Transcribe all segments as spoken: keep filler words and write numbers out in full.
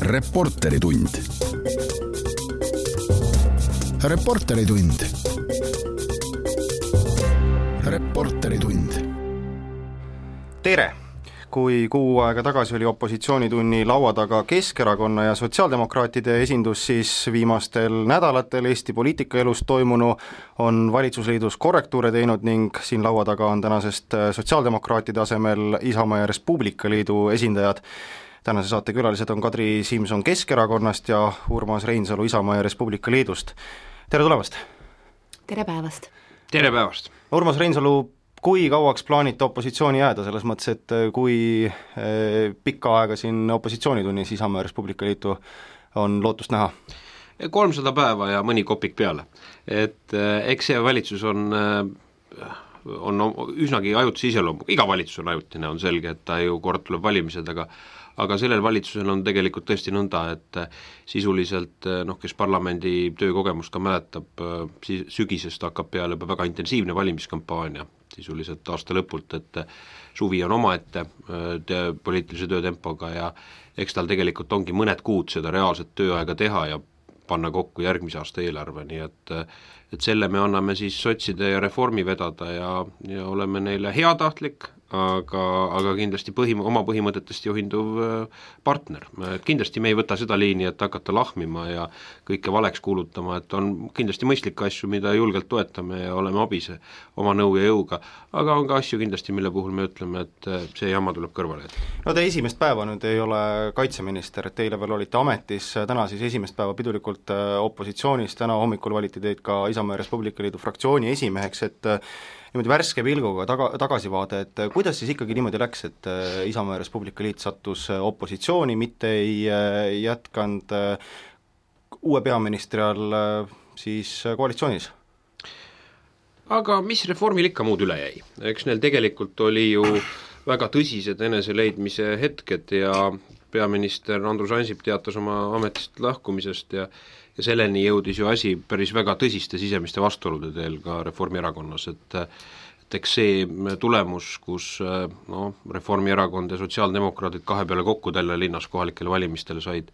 Reporteritund. Reporteritund. Reporteritund. Tere! Kui kuu aega tagasi oli opositsioonitunni laua taga Keskerakonna ja sotsiaaldemokraatide esindus, siis viimastel nädalatel Eesti poliitikaelus toimunu on valitsusliidus korrektuure teinud ning siin laua taga on tänasest sotsiaaldemokraatide asemel Isamaa ja Res Publica Liidu esindajad. Tänase saate külalised on Kadri Simson Keskerakonnast ja Urmas Reinsalu Isamaa ja Res Publica Liidust. Tere tulemast! Tere päevast! Tere päevast! Urmas Reinsalu, kui kauaks plaanite opositsiooni jääda, selles mõttes, et kui pikka aega siin opositsioonitunnis Isamaa ja Res Publica Liitu on lootust näha? kolmsada päeva ja mõni kopik peale. Et eks see valitsus on, on üsnagi ajutise iseloomu, iga valitsus on ajutine, on selge, et ta ju kord tuleb valimised, aga aga sellel valitsusel on tegelikult tõesti nõnda, et sisuliselt, noh, kes parlamendi töökogemust ka mäletab, sügisest hakkab peale juba väga intensiivne valimiskampaania, sisuliselt aasta lõpult, et suvi on omaette te, poliitilise töötempoga ja eks tal tegelikult ongi mõned kuud seda reaalset tööaega teha ja panna kokku järgmise aasta eelarve, nii et, et selle me anname siis sotside ja reformi vedada ja, ja oleme neile heatahtlik, aga, aga kindlasti põhim- oma põhimõtetest juhinduv partner. Kindlasti me ei võta seda liini, et hakata lahmima ja kõike valeks kuulutama, et on kindlasti mõistlikke asju, mida julgelt toetame ja oleme abis oma nõu ja jõuga, aga on ka asju kindlasti, mille puhul me ütleme, et see jama tuleb kõrvale. No te esimest päeva nüüd ei ole kaitseminister, et teile veel olite ametis, täna siis esimest päeva pidulikult opositsioonis, täna hommikul valiti teid ka Isamaa ja Res Publica Liidu fraktsiooni esimeheks, et niimoodi värske pilguga taga, tagasivaade, et kuidas siis ikkagi niimoodi läks, et Isamaa ja Res Publica Liit sattus opositsiooni, mitte ei jätkanud uue peaministri all siis koalitsioonis? Aga mis reformil ikka muud üle jäi? Eks neil tegelikult oli ju väga tõsised eneseleidmise hetked ja peaminister Andrus Ansip teatas oma ametist lahkumisest ja ja selleni jõudis ju asi päris väga tõsiste sisemiste vastuolude teel ka Reformierakonnas, et, et eks see tulemus, kus no, Reformierakond ja sotsiaaldemokraadid kahe peale kokku tälle linnas kohalikele valimistele said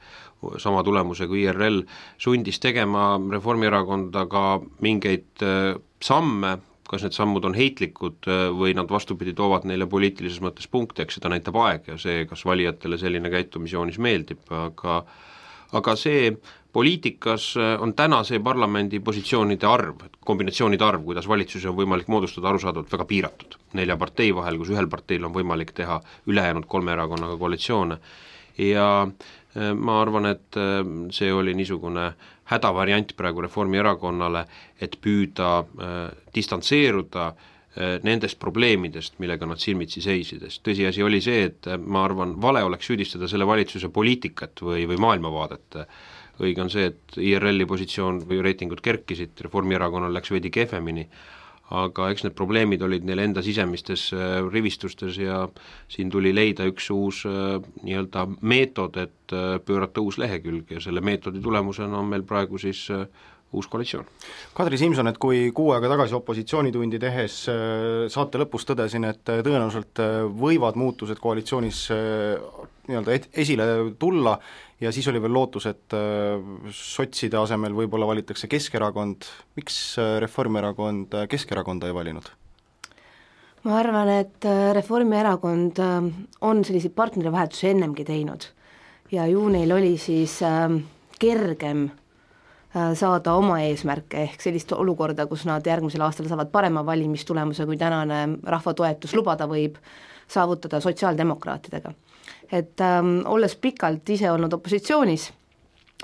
sama tulemuse kui I R L, sundis tegema Reformierakonda ka mingeid samme, kas need sammud on heitlikud või nad vastupidi toovad neile poliitilises mõttes punkte, eks seda näitab aeg ja see, kas valijatele selline käitumisjoonis meeldib, aga aga see poliitikas on täna see parlamendi positsioonide arv, kombinatsioonide arv, kuidas valitsusi on võimalik moodustada arusaadavalt väga piiratud. Nelja partei vahel, kus ühel parteil on võimalik teha ülejäänud kolme erakonnaga koalitsioone ja ma arvan, et see oli niisugune hädavariant praegu Reformierakonnale, et püüda äh, distantseeruda nendest probleemidest, millega nad silmitsi seisides. Tõsiasi oli see, et ma arvan, vale oleks süüdistada selle valitsuse poliitikat või, või maailmavaadet. Õige on see, et I R L-i positsioon või reitingud kerkisid, Reformierakonnal läks veidi kehvemini, aga eks need probleemid olid neil enda sisemistes rivistustes ja siin tuli leida üks uus nii-öelda meetod, et pöörata uus lehekülg ja selle meetodi tulemusena on meil praegu siis uus koalitsioon. Kadri Simson, et kui kuu aega tagasi opositsioonitundi tehes saate lõpus tõdesin, et tõenäoliselt võivad muutused koalitsioonis nii-öelda esile tulla ja siis oli veel lootus, et sotside asemel võib-olla valitakse Keskerakond. Miks Reformierakond Keskerakonda ei valinud? Ma arvan, et Reformierakond on selliseid partnerivahetusi ennemgi teinud ja ju neil oli siis kergem saada oma eesmärke ehk sellist olukorda, kus nad järgmisel aastal saavad parema valimistulemuse, kui tänane rahvatoetus lubada võib saavutada sotsiaaldemokraatidega. Et ähm, olles pikalt ise olnud opositsioonis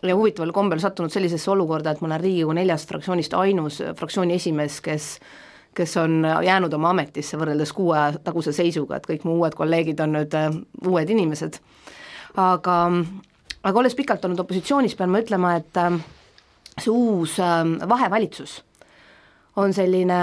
ja huvitaval kombel sattunud sellisesse olukorda, et ma olen Riigikogu neljast fraktsioonist ainus fraktsiooni esimees, kes, kes on jäänud oma ametisse võrreldes kuue taguse seisuga, et kõik mu uued kolleegid on nüüd äh, uued inimesed. Aga, aga olles pikalt olnud opositsioonis, pean ma ütlema, et äh, see uus vahevalitsus on selline,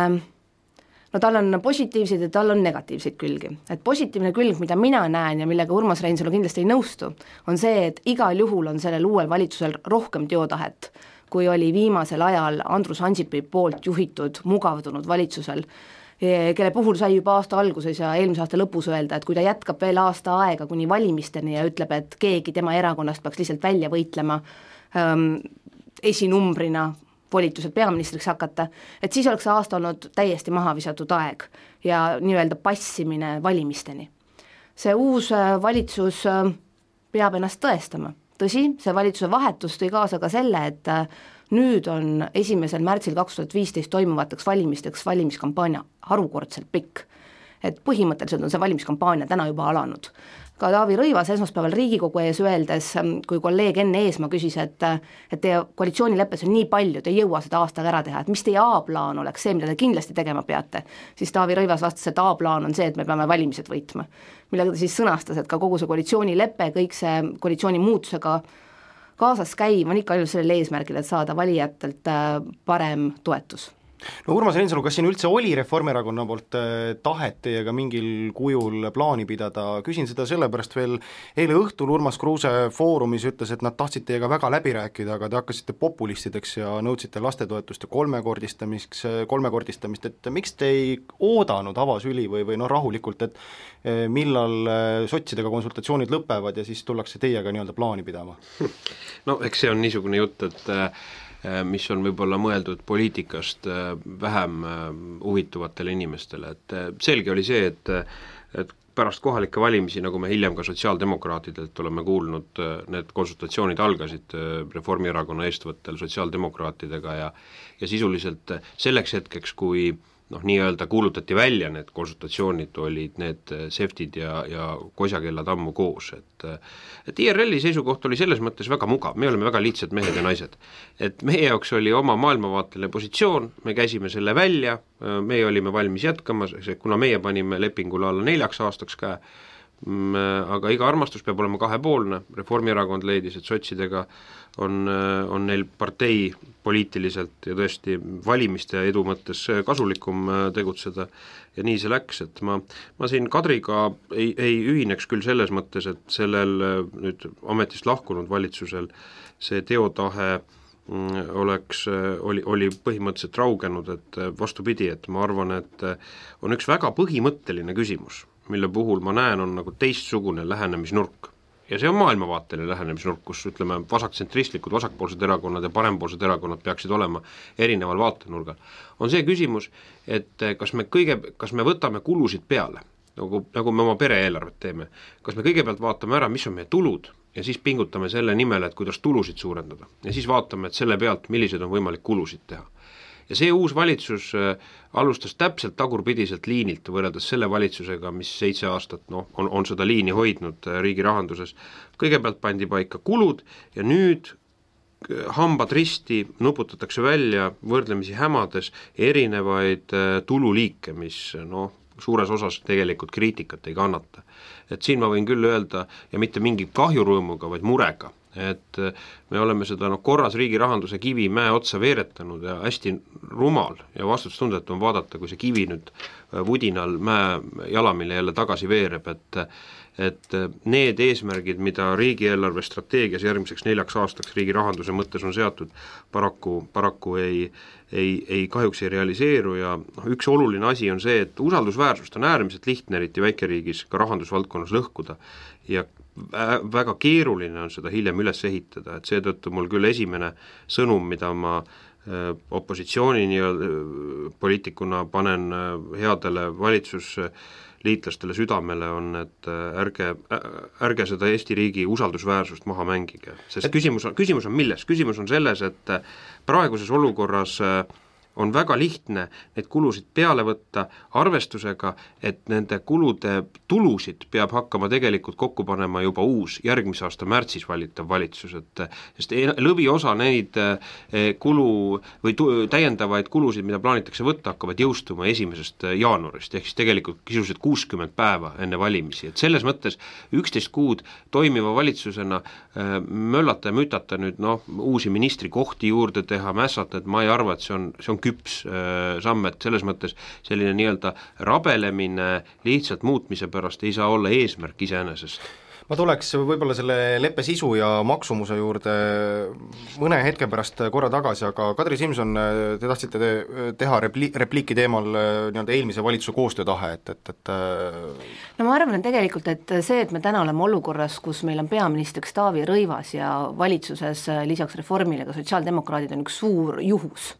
no tal on positiivseid ja tal on negatiivseid külgi. Et positiivne külg, mida mina näen ja millega Urmas Reinsalu kindlasti ei nõustu, on see, et igal juhul on sellel uuel valitsusel rohkem teotahet, kui oli viimasel ajal Andrus Ansipi poolt juhitud mugavdunud valitsusel. kelle puhul sai juba aasta alguses ja eelmise aasta lõpus öelda, et kui ta jätkab veel aasta aega kuni valimisteni ja ütleb, et keegi tema erakonnast peaks lihtsalt välja võitlema ähm, esinumbrina volitused peaministriks hakata, et siis oleks see aasta olnud täiesti maha visatud aeg ja nii-öelda passimine valimisteni. See uus valitsus peab ennast tõestama. Tõsi, see valitsuse vahetus tõi kaasa ka selle, et nüüd on esimesel märtsil kaks tuhat viisteist toimuvateks valimisteks valimiskampaania harukordselt pikk. Et põhimõtteliselt on see valimiskampaania täna juba alanud. Ka Taavi Rõivas esmaspäeval Riigikogu ees öeldes, kui kolleeg Enn Eesmaa küsis, et, et teie koalitsioonileppes on nii palju, te ei jõua seda aastaga ära teha, et mis teie A-plaan oleks see, mida te kindlasti tegema peate, siis Taavi Rõivas vastas, et A-plaan on see, et me peame valimised võitma. Millega ta siis sõnastas, et ka kogu see koalitsioonilepe, kõik see koalitsiooni muutusega kaasas käiv on ikka ainult sellel eesmärgil, et saada valijatelt parem toetus. No Urmas Reinsalu, kas siin üldse oli Reformierakonna poolt tahet teiega mingil kujul plaani pidada? Küsin seda sellepärast veel, eile õhtul Urmas Kruuse foorumis ütles, et nad tahtsid teiega väga läbi rääkida, aga te hakkasite populistideks ja nõudsite lastetoetuste kolmekordistamist, kolmekordistamist, et miks te ei oodanud avasüli või, või no rahulikult, et millal sotsidega konsultatsioonid lõpevad ja siis tullakse teiega nii-öelda plaani pidama? No eks see on niisugune jutt, et mis on võib-olla mõeldud poliitikast vähem huvituvatele inimestele, et selge oli see, et, et pärast kohalikke valimisi, nagu me hiljem ka sotsiaaldemokraatidelt oleme kuulnud, need konsultatsioonid algasid Reformierakonna eestvõttel sotsiaaldemokraatidega ja, ja sisuliselt selleks hetkeks, kui noh, nii-öelda kuulutati välja need konsultatsioonid, olid need seftid ja, ja kosjakellad ammu koos, et et I R L-i seisukoht oli selles mõttes väga mugav, me oleme väga lihtsad mehed ja naised, et meie jaoks oli oma maailmavaateline positsioon, me käisime selle välja, meie olime valmis jätkama, kuna meie panime lepingule alla neljaks aastaks käe, aga iga armastus peab olema kahepoolne, Reformierakond leidis, et sotsidega on, on neil partei poliitiliselt ja tõesti valimiste edu mõttes kasulikum tegutseda ja nii see läks, et ma, ma siin Kadriga ei, ei ühineks küll selles mõttes, et sellel nüüd ametist lahkunud valitsusel see teotahe oleks, oli, oli põhimõtteliselt raugenud, et vastupidi, et ma arvan, et on üks väga põhimõtteline küsimus, mille puhul ma näen, on nagu teistsugune lähenemisnurk. Ja see on maailmavaateline lähenemisnurk, kus ütleme vasaktsentristlikud, vasakpoolsed erakonnad ja parempoolsed erakonnad peaksid olema erineval vaatenurgal. On see küsimus, et kas me, kõige, kas me võtame kulusid peale, nagu, nagu me oma pereeelarvet teeme, kas me kõigepealt vaatame ära, mis on meie tulud ja siis pingutame selle nimel, et kuidas tulusid suurendada ja siis vaatame, et selle pealt, millised on võimalik kulusid teha. Ja see uus valitsus alustas täpselt tagurpidiselt liinilt võrreldes selle valitsusega, mis seitse aastat no, on, on seda liini hoidnud riigi rahanduses. Kõigepealt pandi paika kulud ja nüüd hambad risti nuputatakse välja võrdlemisi hämades erinevaid tululiike, mis no, suures osas tegelikult kriitikat ei kannata. Et siin ma võin küll öelda ja mitte mingi kahjurõõmuga, vaid murega, et me oleme seda no, korras riigi rahanduse kivi mäe otsa veeretanud ja hästi rumal ja vastutustundetu on vaadata, kui see kivi nüüd vudinal mäe jalamile jälle tagasi veereb, et, et need eesmärgid, mida riigieelarve strateegias järgmiseks neljaks aastaks riigi rahanduse mõttes on seatud, paraku, paraku ei, ei, ei kahjuks ei realiseeru ja üks oluline asi on see, et usaldusväärsust on äärmiselt lihtne, eriti väikeriigis ka rahandusvaldkonnas lõhkuda ja väga keeruline on seda hiljem üles ehitada, et seetõttu mul küll esimene sõnum, mida ma opositsiooni poliitikuna panen headele valitsusliitlastele südamele on, et ärge, ärge seda Eesti riigi usaldusväärsust maha mängige, sest küsimus on, küsimus on milles? Küsimus on selles, et praeguses olukorras on väga lihtne neid kulusid peale võtta arvestusega, et nende kulude tulusid peab hakkama tegelikult kokku panema juba uus järgmise aasta märtsis valitav valitsus, et sest lõviosa neid kulu või täiendavaid kulusid, mida plaanitakse võtta, hakkavad jõustuma esimesest jaanuarist, ehk siis tegelikult kisuliselt kuuskümmend päeva enne valimisi, et selles mõttes üksteist kuud toimiva valitsusena möllata ja mütata nüüd noh, uusi ministrikohti juurde teha, mässata, et ma ei arva, et see on, see on küps samm, et selles mõttes selline nii-öelda rabelemine lihtsalt muutmise pärast ei saa olla eesmärk iseenesest. ma tuleks võib-olla selle leppe sisu ja maksumuse juurde mõne hetke pärast korra tagasi, aga Kadri Simson, te tahtsite te teha repli-, repliiki teemal nii-öelda eelmise valitsuse koostöötahe, et, et, et no ma arvan, et tegelikult, et see, et me täna oleme olukorras, kus meil on peaministriks Taavi Rõivas ja valitsuses lisaks Reformile ka sotsiaaldemokraadid on üks suur juhus.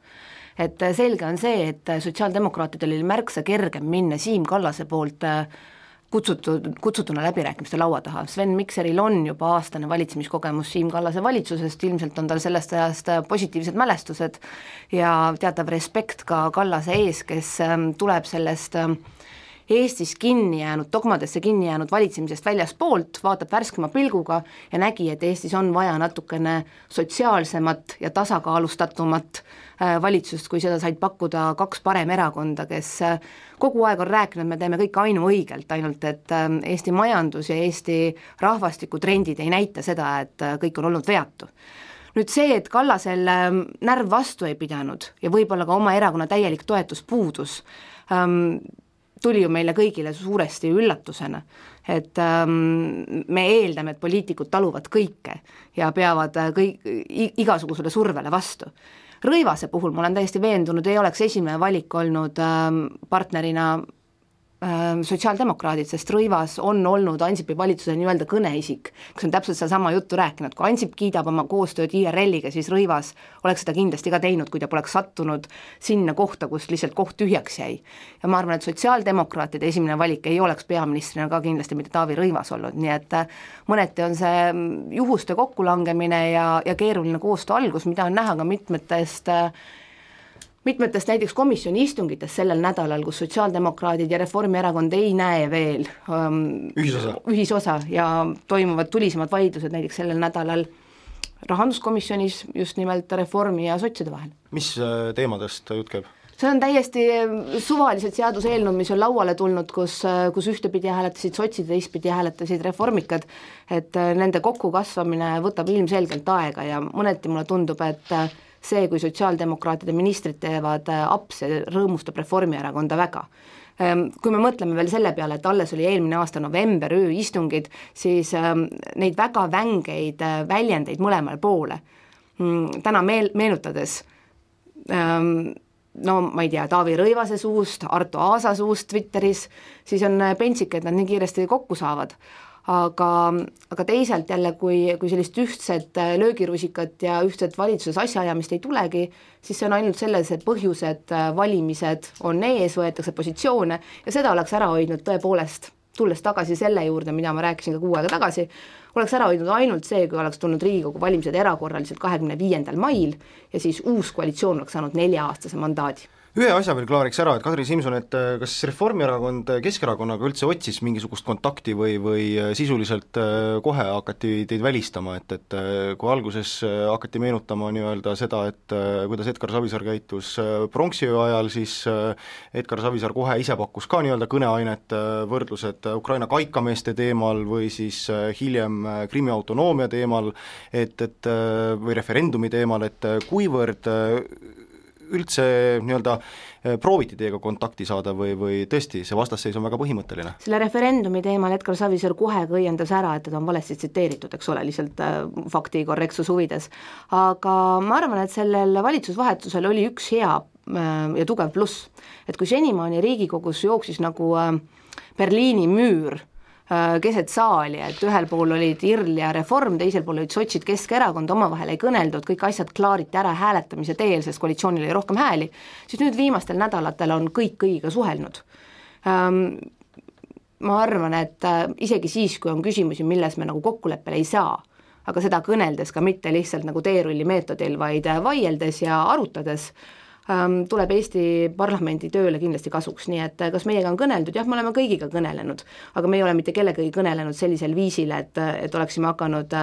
Et selge on see, et sotsiaaldemokraatidel oli märksa kergem minna Siim Kallase poolt kutsutud, kutsutuna läbirääkimiste laua taha. Sven Mikseril on juba aastane valitsemiskogemus Siim Kallase valitsusest, ilmselt on tal sellest ajast positiivsed mälestused ja teatav respekt ka Kallase ees, kes tuleb sellest Eestis kinni jäänud, dogmadesse kinni jäänud valitsemisest väljaspoolt, vaatab värskema pilguga ja nägi, et Eestis on vaja natukene sotsiaalsemat ja tasakaalustatumat valitsust, kui seda said pakkuda kaks paremerakonda, kes kogu aeg on rääkinud, me teeme kõik ainuõigelt, ainult et Eesti majandus ja Eesti rahvastikutrendid ei näita seda, et kõik on olnud veatu. Nüüd see, et Kallasel närv vastu ei pidanud ja võib-olla ka oma erakonna täielik toetus puudus, tuli ju meile kõigile suuresti üllatusena, et ähm, me eeldame, et poliitikud taluvad kõike ja peavad kõik, igasugusele survele vastu. Rõivase puhul ma olen täiesti veendunud, ei oleks esimene valik olnud ähm, partnerina sotsiaaldemokraadid, sest Rõivas on olnud Ansipi valitsuse nii-öelda kõneisik, kes on täpselt seda sama juttu rääkinud, kui Ansip kiidab oma koostööd I R L-iga, siis Rõivas oleks seda kindlasti ka teinud, kui ta poleks sattunud sinna kohta, kus lihtsalt koht tühjaks jäi. Ja ma arvan, et sotsiaaldemokraatide esimene valik ei oleks peaministrina ka kindlasti mitte Taavi Rõivas olnud, nii et mõneti on see juhuste kokkulangemine ja, ja keeruline koostöö algus, mida on näha ka mitmetest mitmetest näiteks komisjoni istungitest sellel nädalal, kus sotsiaaldemokraadid ja Reformierakond ei näe veel um, ühisosa. ühisosa ja toimuvad tulisemad vaidlused näiteks sellel nädalal rahanduskomisjonis just nimelt Reformi ja sotside vahel. Mis teemadest jutt käib? See on täiesti suvalised seaduseelnõud, mis on lauale tulnud, kus, kus ühtepidi hääletasid sotsid, teistpidi hääletasid reformikad, et nende kokkukasvamine võtab ilmselgelt aega ja mõneti mulle tundub, et see, kui sotsiaaldemokraatide ministrid teevad apse, rõõmustab Reformierakonda väga. Kui me mõtleme veel selle peale, et alles oli eelmine aasta november ööistungid, siis neid väga vängeid väljendeid mõlemal poole. Täna meel, meenutades, no ma ei tea, Taavi Rõivase suust, Arto Aasa suust Twitteris, siis on pentsik, et nad nii kiiresti kokku saavad. Aga, aga teisalt jälle, kui, kui sellist ühtset löögirusikat ja ühtset valitsuses asjaajamist ei tulegi, siis see on ainult selles, et põhjused, valimised on ees, võetakse positsioone ja seda oleks ära hoidnud tõepoolest, tulles tagasi selle juurde, mida ma rääkisin ka kuu aega tagasi, oleks ära hoidnud ainult see, kui oleks tulnud Riigikogu valimised erakorraliselt kahekümne viiendal mail ja siis uus koalitsioon oleks saanud nelja-aastase mandaadi. Ühe asja veel klaariks ära, et Kadri Simson, et kas Reformierakond Keskerakonnaga üldse otsis mingisugust kontakti või, või sisuliselt kohe hakati teid välistama, et, et kui alguses hakati meenutama nii-öelda seda, et kuidas Edgar Savisaar käitus pronksiöö ajal, siis Edgar Savisaar kohe ise pakkus ka nii-öelda kõneainet, võrdlused Ukraina kaikameeste teemal või siis hiljem Krimmi autonoomia teemal, et, et või referendumi teemal, et kuivõrd üldse nii-öelda prooviti teiega kontakti saada või, või tõesti, see vastasseis on väga põhimõtteline? Selle referendumi teemal Edgar Savisaar kohe õiendas ära, et teda on valesti tsiteeritud, eks ole, lihtsalt fakti korrektsus huvides. Aga ma arvan, et sellel valitsusvahetusel oli üks hea ja tugev pluss, et kui senimaani Riigikogus jooksis nagu Berliini müür keset saali, et ühel pool olid I R L ja Reform, teisel pool olid sotsid, Keskerakond, omavahel ei kõneldud, kõik asjad klaariti ära hääletamise teel, sest koalitsioonil oli rohkem hääli, siis nüüd viimastel nädalatel on kõik kõigiga suhelnud. Ma arvan, et isegi siis, kui on küsimusi, milles me nagu kokkuleppele ei saa, aga seda kõneldes ka mitte lihtsalt nagu teerulli meetodil, vaid vaieldes ja arutades, tuleb Eesti parlamendi tööle kindlasti kasuks, nii et kas meiega on kõneldud, jah, me oleme kõigiga kõnelenud, aga me ei ole mitte kellegagi kõnelenud sellisel viisil, et, et oleksime hakanud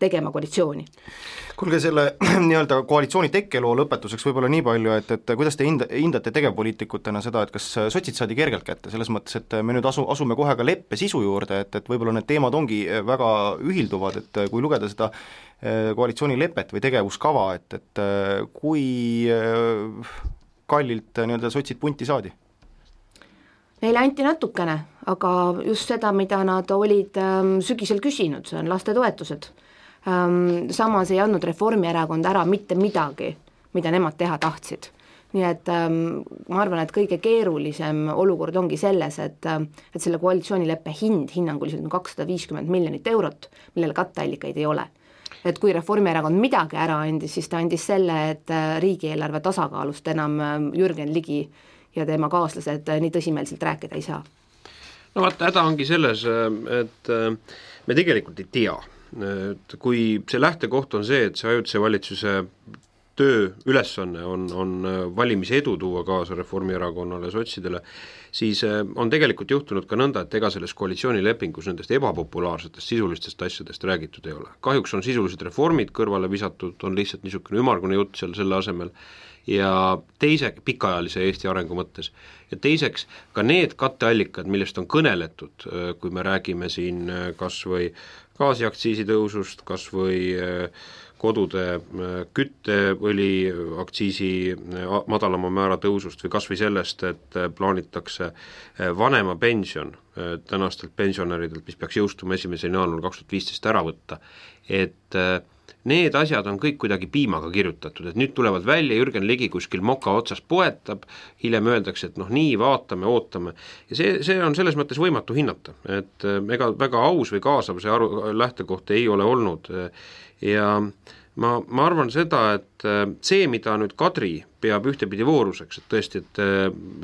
tegema koalitsiooni. Kuulge, selle nii-öelda koalitsiooni tekkeloo lõpetuseks võib-olla nii palju, et, et kuidas te hinda, hindate tegevpoliitikutena seda, et kas sotsid saadi kergelt kätte, selles mõttes, et me nüüd asu, asume kohe ka leppe sisu juurde, et, et võib-olla need teemad ongi väga ühilduvad, et kui lugeda seda koalitsioonilepet või tegevuskava, et, et kui kallilt nii-öelda sotsid punti saadi? Neile anti natukene, aga just seda, mida nad olid ähm, sügisel küsinud, see on lastetoetused. Ähm, samas ei andnud Reformierakond ära mitte midagi, mida nemad teha tahtsid. Nii et ähm, ma arvan, et kõige keerulisem olukord ongi selles, et, et selle koalitsioonileppe hind hinnanguliselt on kakssada viiskümmend miljonit eurot, millele katteallikaid ei ole. Et kui Reformierakond midagi ära andis, siis ta andis selle, et riigieelarve tasakaalust enam Jürgen Ligi ja tema kaaslased nii tõsimeelselt rääkida ei saa. No vaata, häda ongi selles, et me tegelikult ei tea, et kui see lähtekoht on see, et see ajutise valitsuse töö ülesanne on, on valimise edu tuua kaasa Reformierakonnale ja sotsidele, siis on tegelikult juhtunud ka nõnda, et ega selles koalitsioonilepingus nendest ebapopulaarsetest sisulistest asjadest räägitud ei ole. Kahjuks on sisulised reformid kõrvale visatud, on lihtsalt niisugune ümmargune jutt seal selle asemel ja teise pikaajalise Eesti arengu mõttes. Ja teiseks ka need katteallikad, millest on kõneletud, kui me räägime siin kas või gaasiaktsiisi tõusust, kas või kodude kütteõli aktsiisi madalama määra tõusust või kas või sellest, et plaanitakse vanema pension tänastelt pensionäridelt, mis peaks jõustuma esimesel jaanuaril kaks tuhat viisteist ära võtta, et need asjad on kõik kuidagi piimaga kirjutatud, et nüüd tulevad välja, Jürgen Ligi kuskil moka otsas poetab, hiljem öeldakse, et noh nii, vaatame, ootame ja see, see on selles mõttes võimatu hinnata, et ega väga aus või kaasav see aru, lähtekoht ei ole olnud ja ma, ma arvan seda, et see, mida nüüd Kadri peab ühtepidi vooruseks, et tõesti, et,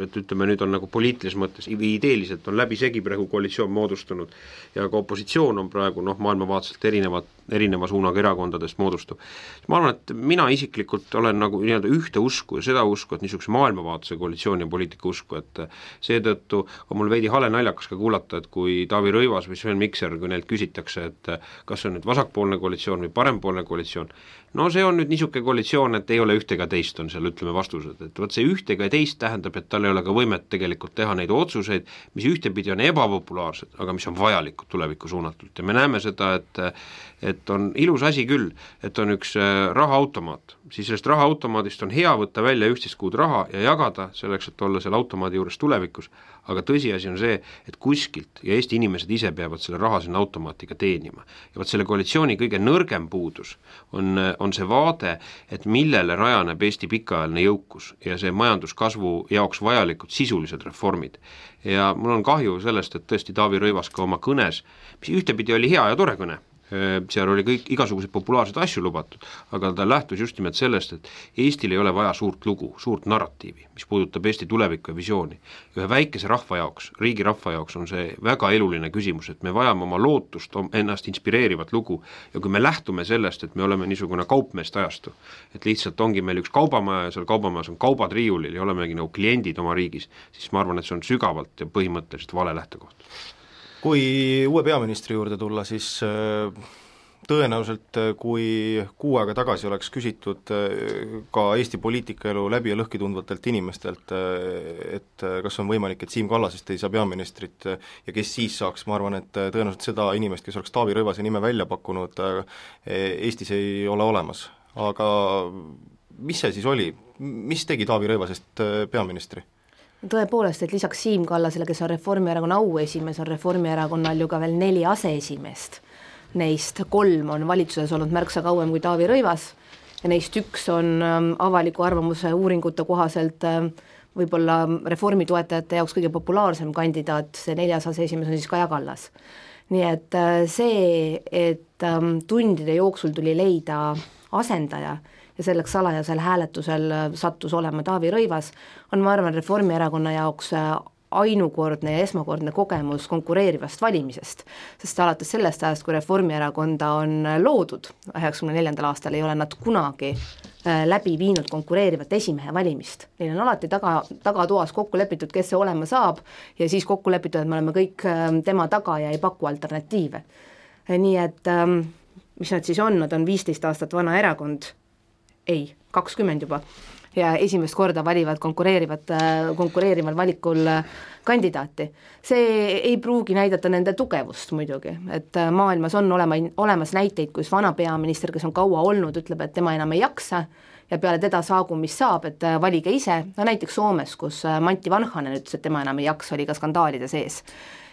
et ütleme nüüd on nagu poliitilises mõttes, ideeliselt on läbi segi praegu koalitsioon moodustunud ja ka opositsioon on praegu noh, maailmavaatselt erinevad, erineva suunaga erakondadest moodustub. Ma arvan, et mina isiklikult olen nagu nii-öelda ühte usku ja seda usku, et niisuguse maailmavaatse koalitsiooni ja poliitika usku, et seetõttu on mul veidi hale naljakas ka kuulata, et kui Taavi Rõivas või Sven Mikser, kui neilt küsitakse, et kas see on nüüd vasakpoolne koalitsioon või parempoolne koalitsioon, no see on nüüd niisugune koalitsioon, et ei ole ühtega teist, on seal ütleme vastused, et võt see ühtega ja teist tähendab, et tal ei ole ka võimet tegelikult teha neid otsuseid, mis ühtepidi on ebapopulaarsed, aga mis on vajalikud tulevikku suunatult ja me näeme seda, et et on ilus asi küll, et on üks rahaautomaat, siis sellest rahaautomaadist on hea võtta välja üksteist kuud raha ja jagada selleks, et olla selle automaadi juures tulevikus, aga tõsiasi on see, et kuskilt ja Eesti inimesed ise peavad selle raha sinna automaatiga teenima. Ja võt selle koalitsiooni kõige nõrgem puudus on, on see vaade, et millele rajaneb Eesti pikaajaline jõukus ja see majanduskasvu jaoks vajalikud sisulised reformid. Ja mul on kahju sellest, et tõesti Taavi Rõivas ka oma kõnes, mis ühtepidi oli hea ja tore kõne, seal oli kõik igasuguseid populaarsed asju lubatud, aga ta lähtus just nimelt sellest, et Eestil ei ole vaja suurt lugu, suurt narratiivi, mis puudutab Eesti tulevikku ja visiooni. Ühe väikese rahva jaoks, riigi rahva jaoks on see väga eluline küsimus, et me vajame oma lootust, ennast inspireerivat lugu ja kui me lähtume sellest, et me oleme niisugune kaupmeest ajastu, et lihtsalt ongi meil üks kaubamaja ja seal kaubamajas on kaubad riiulil ja olemegi nagu kliendid oma riigis, siis ma arvan, et see on sügavalt ja põhimõtteliselt vale lähtekoht. Kui uue peaministri juurde tulla, siis tõenäoliselt kui kuu aega tagasi oleks küsitud ka Eesti poliitikaelu läbi ja lõhki tundvatelt inimestelt, et kas on võimalik, et Siim Kallasest ei saa peaministrit ja kes siis saaks, ma arvan, et tõenäoliselt seda inimest, kes oleks Taavi Rõivase nime välja pakkunud, Eestis ei ole olemas. Aga mis see siis oli? Mis tegi Taavi Rõivasest peaministri? Tõepoolest, et lisaks Siim Kallasele, kes on Reformierakonna auesimees, on Reformierakonnal ju ka veel neli aseesimeest. Neist kolm on valitsuses olnud märksa kauem kui Taavi Rõivas ja neist üks on avaliku arvamuse uuringute kohaselt võib-olla reformi toetajate jaoks kõige populaarsem kandidaat, see neljas aseesimees on siis Kaja Kallas. Nii et see, et tundide jooksul tuli leida asendaja ja selleks salajasel hääletusel sattus olema Taavi Rõivas, on ma arvan Reformierakonna jaoks ainukordne ja esmakordne kogemus konkureerivast valimisest, sest alates sellest ajast, kui Reformierakonda on loodud, üheksakümne neljandal aastal ei ole nad kunagi läbi viinud konkureerivat esimehe valimist. Neil on alati taga, tagatoas kokku lepitud, kes see olema saab ja siis kokku lepitud, et me oleme kõik tema taga ja ei paku alternatiive. Nii et mis nad siis on, nad on viisteist aastat vana erakond, ei, kakskümmend juba, ja esimest korda valivad konkureerivat, konkureerival valikul kandidaati. See ei pruugi näidata nende tugevust muidugi, et maailmas on olema, olemas näiteid, kus vana peaminister, kes on kaua olnud, ütleb, et tema enam ei jaksa ja peale teda saagu, mis saab, et valige ise, no näiteks Soomes, kus Matti Vanhanen ütles, et tema enam ei jaksa, oli ka skandaalide sees.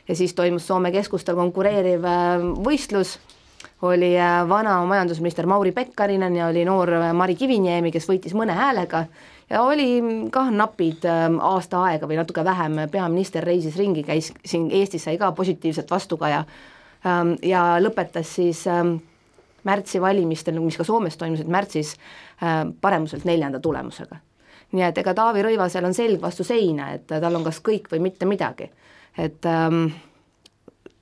Ja siis toimus Soome keskustel konkureeriv võistlus, oli vana majandusminister Mauri Pekkarinen ja oli noor Mari Kiviniemi, kes võitis mõne häälega ja oli kah napid aasta aega või natuke vähem, peaminister reisis ringi, käis siin Eestis, sai ka positiivset vastukaja ja lõpetas siis märtsi valimistel, mis ka Soomes toimusid märtsis, paremuselt neljanda tulemusega. Nii et ega Taavi Rõivasel on selg vastu seina, et tal on kas kõik või mitte midagi. Et ähm,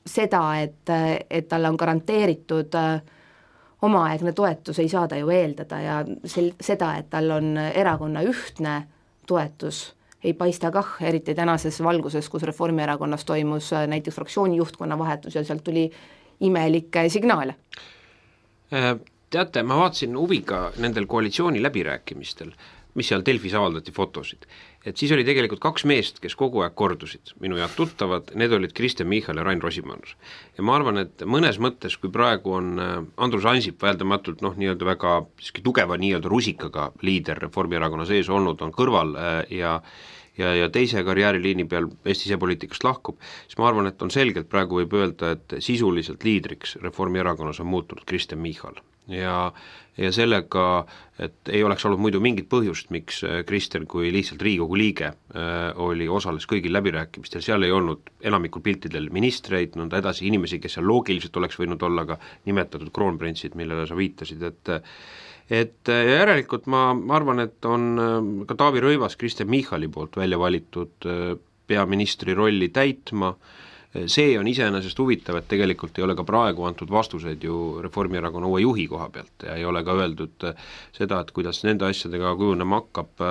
seda, et, et talle on garanteeritud äh, omaaegne toetus, ei saa ta ju eeldada ja sel, seda, et tal on erakonna ühtne toetus, ei paista kah, eriti tänases valguses, kus Reformierakonnas toimus äh, näiteks fraktsiooni juhtkonna vahetus ja sealt tuli imelikke signaale. Teate, ma vaatasin huviga nendel koalitsiooni läbirääkimistel, mis seal Delfis avaldati fotosid, et siis oli tegelikult kaks meest, kes kogu aeg kordusid, minu head tuttavad, need olid Kristen Michal ja Rain Rosimannus. Ja ma arvan, et mõnes mõttes, kui praegu on Andrus Ansip väeldamatult noh, nii-öelda väga tugeva nii-öelda rusikaga liider Reformierakonna sees olnud, on kõrval ja ja, ja teise karjääriliini peal Eesti sisepoliitikast lahkub, siis ma arvan, et on selgelt praegu võib öelda, et sisuliselt liidriks Reformierakonnas on muutunud Kristen Michal. Ja, ja sellega, et ei oleks olnud muidu mingit põhjust, miks Kristen kui lihtsalt Riigikogu liige äh, oli osales kõigil läbirääkimistel, seal ei olnud enamikul piltidel ministreid, nõnda edasi inimesi, kes seal loogiliselt oleks võinud olla ka nimetatud kroonprintsid, millele sa viitasid, et et järelikult ma, ma arvan, et on ka Taavi Rõivas Kristen Michali poolt välja valitud peaministri rolli täitma. See on iseenesest huvitav, et tegelikult ei ole ka praegu antud vastuseid ju Reformierakonna uue juhi koha pealt ja ei ole ka öeldud seda, et kuidas nende asjadega kujunema hakkab.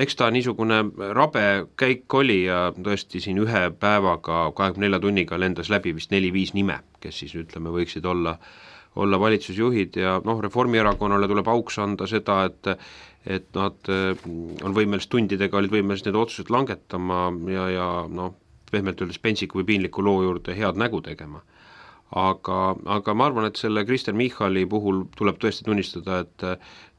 Eks ta niisugune rabe käik oli ja tõesti siin ühe päevaga kahekümne nelja tunniga lendas läbi vist neli-viis nime, kes siis ütleme võiksid olla olla valitsusjuhid ja noh, Reformierakonnale tuleb auks anda seda, et et nad on võimelised tundidega, olid võimelised need otsused langetama ja, ja noh, pehmelt öeldes pentsiku või piinliku loo juurde head nägu tegema. Aga, aga ma arvan, et selle Kristen Michali puhul tuleb tõesti tunnistada, et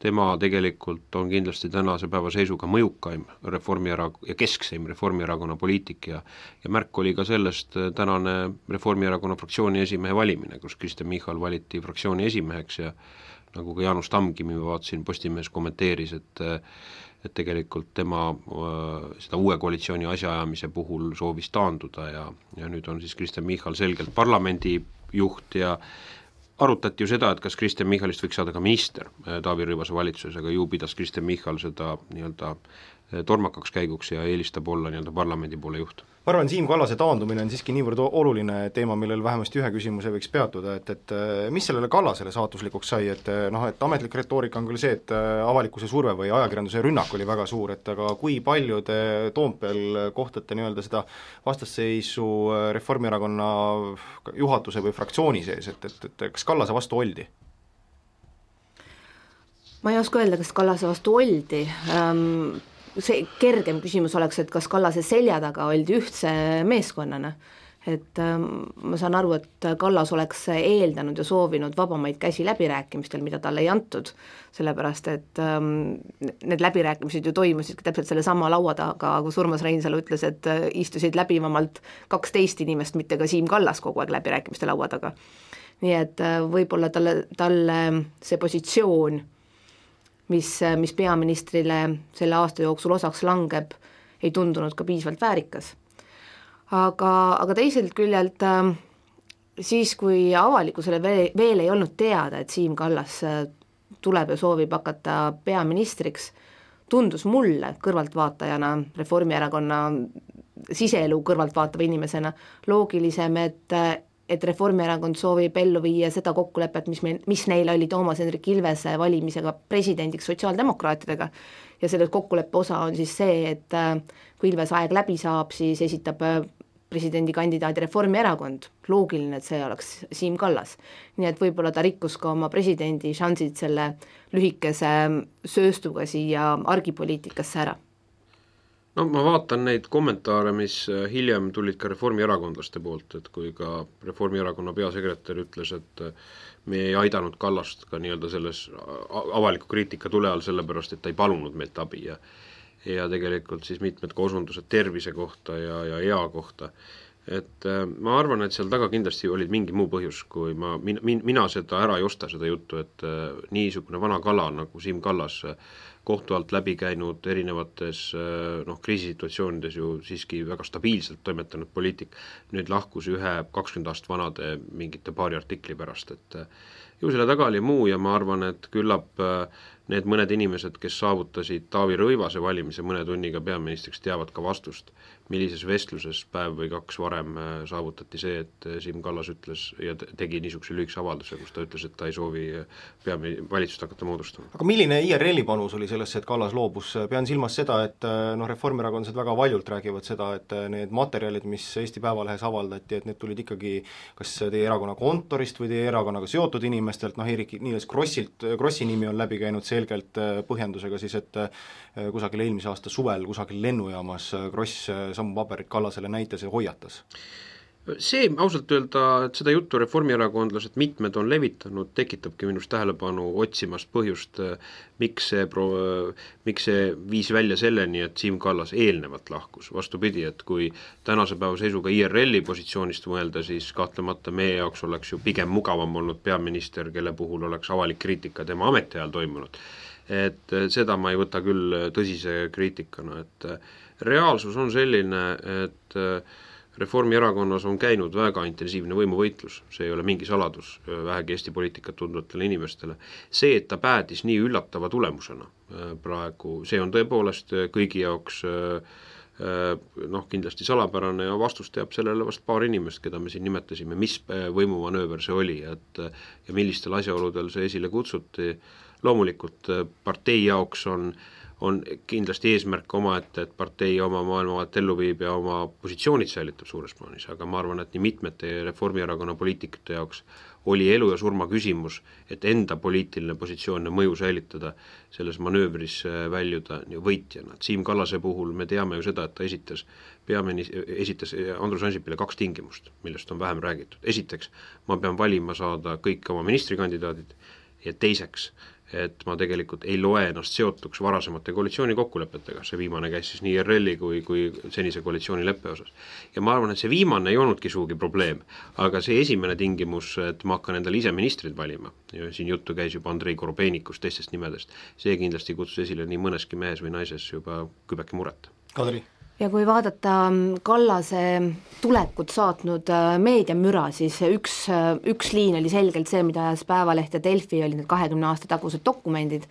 tema tegelikult on kindlasti tänase päeva seisuga mõjukaim Reformierakonna ja keskseim Reformierakonna poliitik ja, ja märk oli ka sellest tänane Reformierakonna fraktsiooni esimehe valimine, kus Kristen Michal valiti fraktsiooni esimeheks ja nagu ka Jaanus Tamkimi ma vaatasin, Postimehes kommenteeris, et et tegelikult tema äh, seda uue koalitsiooni asjaajamise puhul soovis taanduda ja, ja nüüd on siis Kristen Michal selgelt parlamendi juht ja arutati ju seda, et kas Kristen Michalist võiks saada ka minister Taavi Rõivase valitsuses, aga ju pidas Kristen Michal seda nii-öelda tormakaks käiguks ja eelistab olla nii-öelda parlamendi poole juht. Ma arvan, Siim Kallase taandumine on siiski niivõrd oluline teema, millel vähemasti ühe küsimuse võiks peatuda, et, et mis sellele Kallasele saatuslikuks sai, et noh, et ametlik retoorika on küll see, et avalikkuse surve või ajakirjanduse rünnak oli väga suur, et aga kui palju te Toompeel kohtate nii-öelda seda vastasseisu Reformierakonna juhatuse või fraktsiooni sees, et, et, et kas Kallase vastu oldi? Ma ei oska öelda, kas Kallase vastu oldi, ähm, see kergem küsimus oleks, et kas Kallase selja taga oldi ühtse meeskonnana, et ähm, ma saan aru, et Kallas oleks eeldanud ja soovinud vabamaid käsi läbirääkimistel, mida talle ei antud, sellepärast et ähm, need läbirääkimised ju toimusid täpselt selle sama laua taga, kus Urmas Reinsalu ütles, et istusid läbivamalt kaksteist inimest, mitte ka Siim Kallas kogu aeg läbirääkimiste laua taga. Nii et võib-olla talle, talle see positsioon mis, mis peaministrile selle aasta jooksul osaks langeb, ei tundunud ka piisavalt väärikas. Aga, aga teiselt küljelt siis, kui avalikkusele veel, veel ei olnud teada, et Siim Kallas tuleb ja soovib hakata peaministriks, tundus mulle kõrvaltvaatajana, Reformierakonna siseelu kõrvaltvaatava inimesena loogilisem, et et Reformierakond soovib ellu viia seda kokkulepet, mis, meil, mis neil oli Toomas Hendrik Ilvese valimisega presidendiks sotsiaaldemokraatidega ja selle kokkuleppe osa on siis see, et kui Ilvese aeg läbi saab, siis esitab presidendikandidaadi Reformierakond, loogiline, et see oleks Siim Kallas. Nii et võib-olla ta rikkus ka oma presidendi šansid selle lühikese sööstuga siia argipoliitikasse ära. no ma vaatan neid kommentaare, mis hiljem tulid ka reformierakondlaste poolt, et kui ka Reformierakonna peasekretär ütles, et me ei aidanud Kallast ka nii-öelda selles avaliku kriitika tule all sellepärast, et ta ei palunud meilt abi ja ja tegelikult siis mitmed ka osundused tervise kohta ja, ja ea kohta. Et ma arvan, et seal taga kindlasti olid mingi muu põhjus, kui ma, min, mina seda ära ei osta seda juttu, et niisugune vana kala nagu Siim Kallas kohtu alt läbi käinud erinevates noh, kriisisituatsioonides ju siiski väga stabiilselt toimetanud poliitik, nüüd lahkus ühe kakskümmend aastat vanade mingite paari artikli pärast, et ju selle taga oli muu ja ma arvan, et küllap need mõned inimesed, kes saavutasid Taavi Rõivase valimise mõne tunniga peaministriks, teavad ka vastust, millises vestluses päev või kaks varem saavutati see, et Siim Kallas ütles ja tegi niisuguse lühikese avalduse, kus ta ütles, et ta ei soovi peami valitsust hakata moodustama. Aga milline I R L-i panus oli sellesse, et Kallas loobus? Pean silmas seda, et noh, reformierakondlased väga valjult räägivad seda, et need materjalid, mis Eesti Päevalehes avaldati, et need tulid ikkagi kas teie erakonna kontorist või teie erakonnaga seotud inimestelt, noh Eerik-Niiles Krossilt, Krossi nimi on läbi käinud selgelt põhjendusega siis, et kusagil eelmise aasta suvel kusagil lennujaamas Kross samu paberit Kallasele näitas ja hoiatas. See ausalt öelda, et seda juttu reformierakondlased mitmed on levitanud, tekitabki minust tähelepanu otsimast põhjust, miks see, pro-, miks see viis välja selleni, et Siim Kallas eelnevalt lahkus. Vastupidi, et kui tänase päeva seisuga I R L-i positsioonist mõelda, siis kahtlemata meie jaoks oleks ju pigem mugavam olnud peaminister, kelle puhul oleks avalik kriitika tema ametiajal toimunud. Et seda ma ei võta küll tõsise kriitikana, et reaalsus on selline, et Reformierakonnas on käinud väga intensiivne võimuvõitlus, see ei ole mingi saladus vähegi Eesti poliitikat tundvatele inimestele. See, et ta päädis nii üllatava tulemusena praegu, see on tõepoolest kõigi jaoks noh, kindlasti salapärane ja vastus teab sellele vast paar inimest, keda me siin nimetasime, mis võimumanööver see oli, et ja millistel asjaoludel see esile kutsuti. Loomulikult partei jaoks on on kindlasti eesmärk oma, et, et partei oma maailmavaat ellu viib ja oma positsioonid säilitab suures plaanis, aga ma arvan, et nii mitmete Reformierakonna poliitikute jaoks oli elu ja surma küsimus, et enda poliitiline positsioon ja mõju säilitada, selles manöövris väljuda võitjana. Siim Kallase puhul me teame ju seda, et ta esitas, peamini, esitas Andrus Ansipile kaks tingimust, millest on vähem räägitud. Esiteks, ma pean valima saada kõik oma ministrikandidaadid ja teiseks, et ma tegelikult ei loe ennast seotuks varasemate koalitsiooni kokkulepetega, see viimane käis siis nii I R L-i kui, kui senise koalitsiooni leppe osas. Ja ma arvan, et see viimane ei olnudki suugi probleem, aga see esimene tingimus, et ma hakkan endale ise ministrid valima, ja siin juttu käis juba Andrei Korobeinikust, teistest nimedest, see kindlasti kutsus esile nii mõneski mehes või naises juba kübeki muret. Kadri? Ja kui vaadata Kallase tulekut saatnud meediamüra, siis üks, üks liin oli selgelt see, mida ajas Päevaleht ja Delfi, oli need kahekümne aasta tagused dokumendid,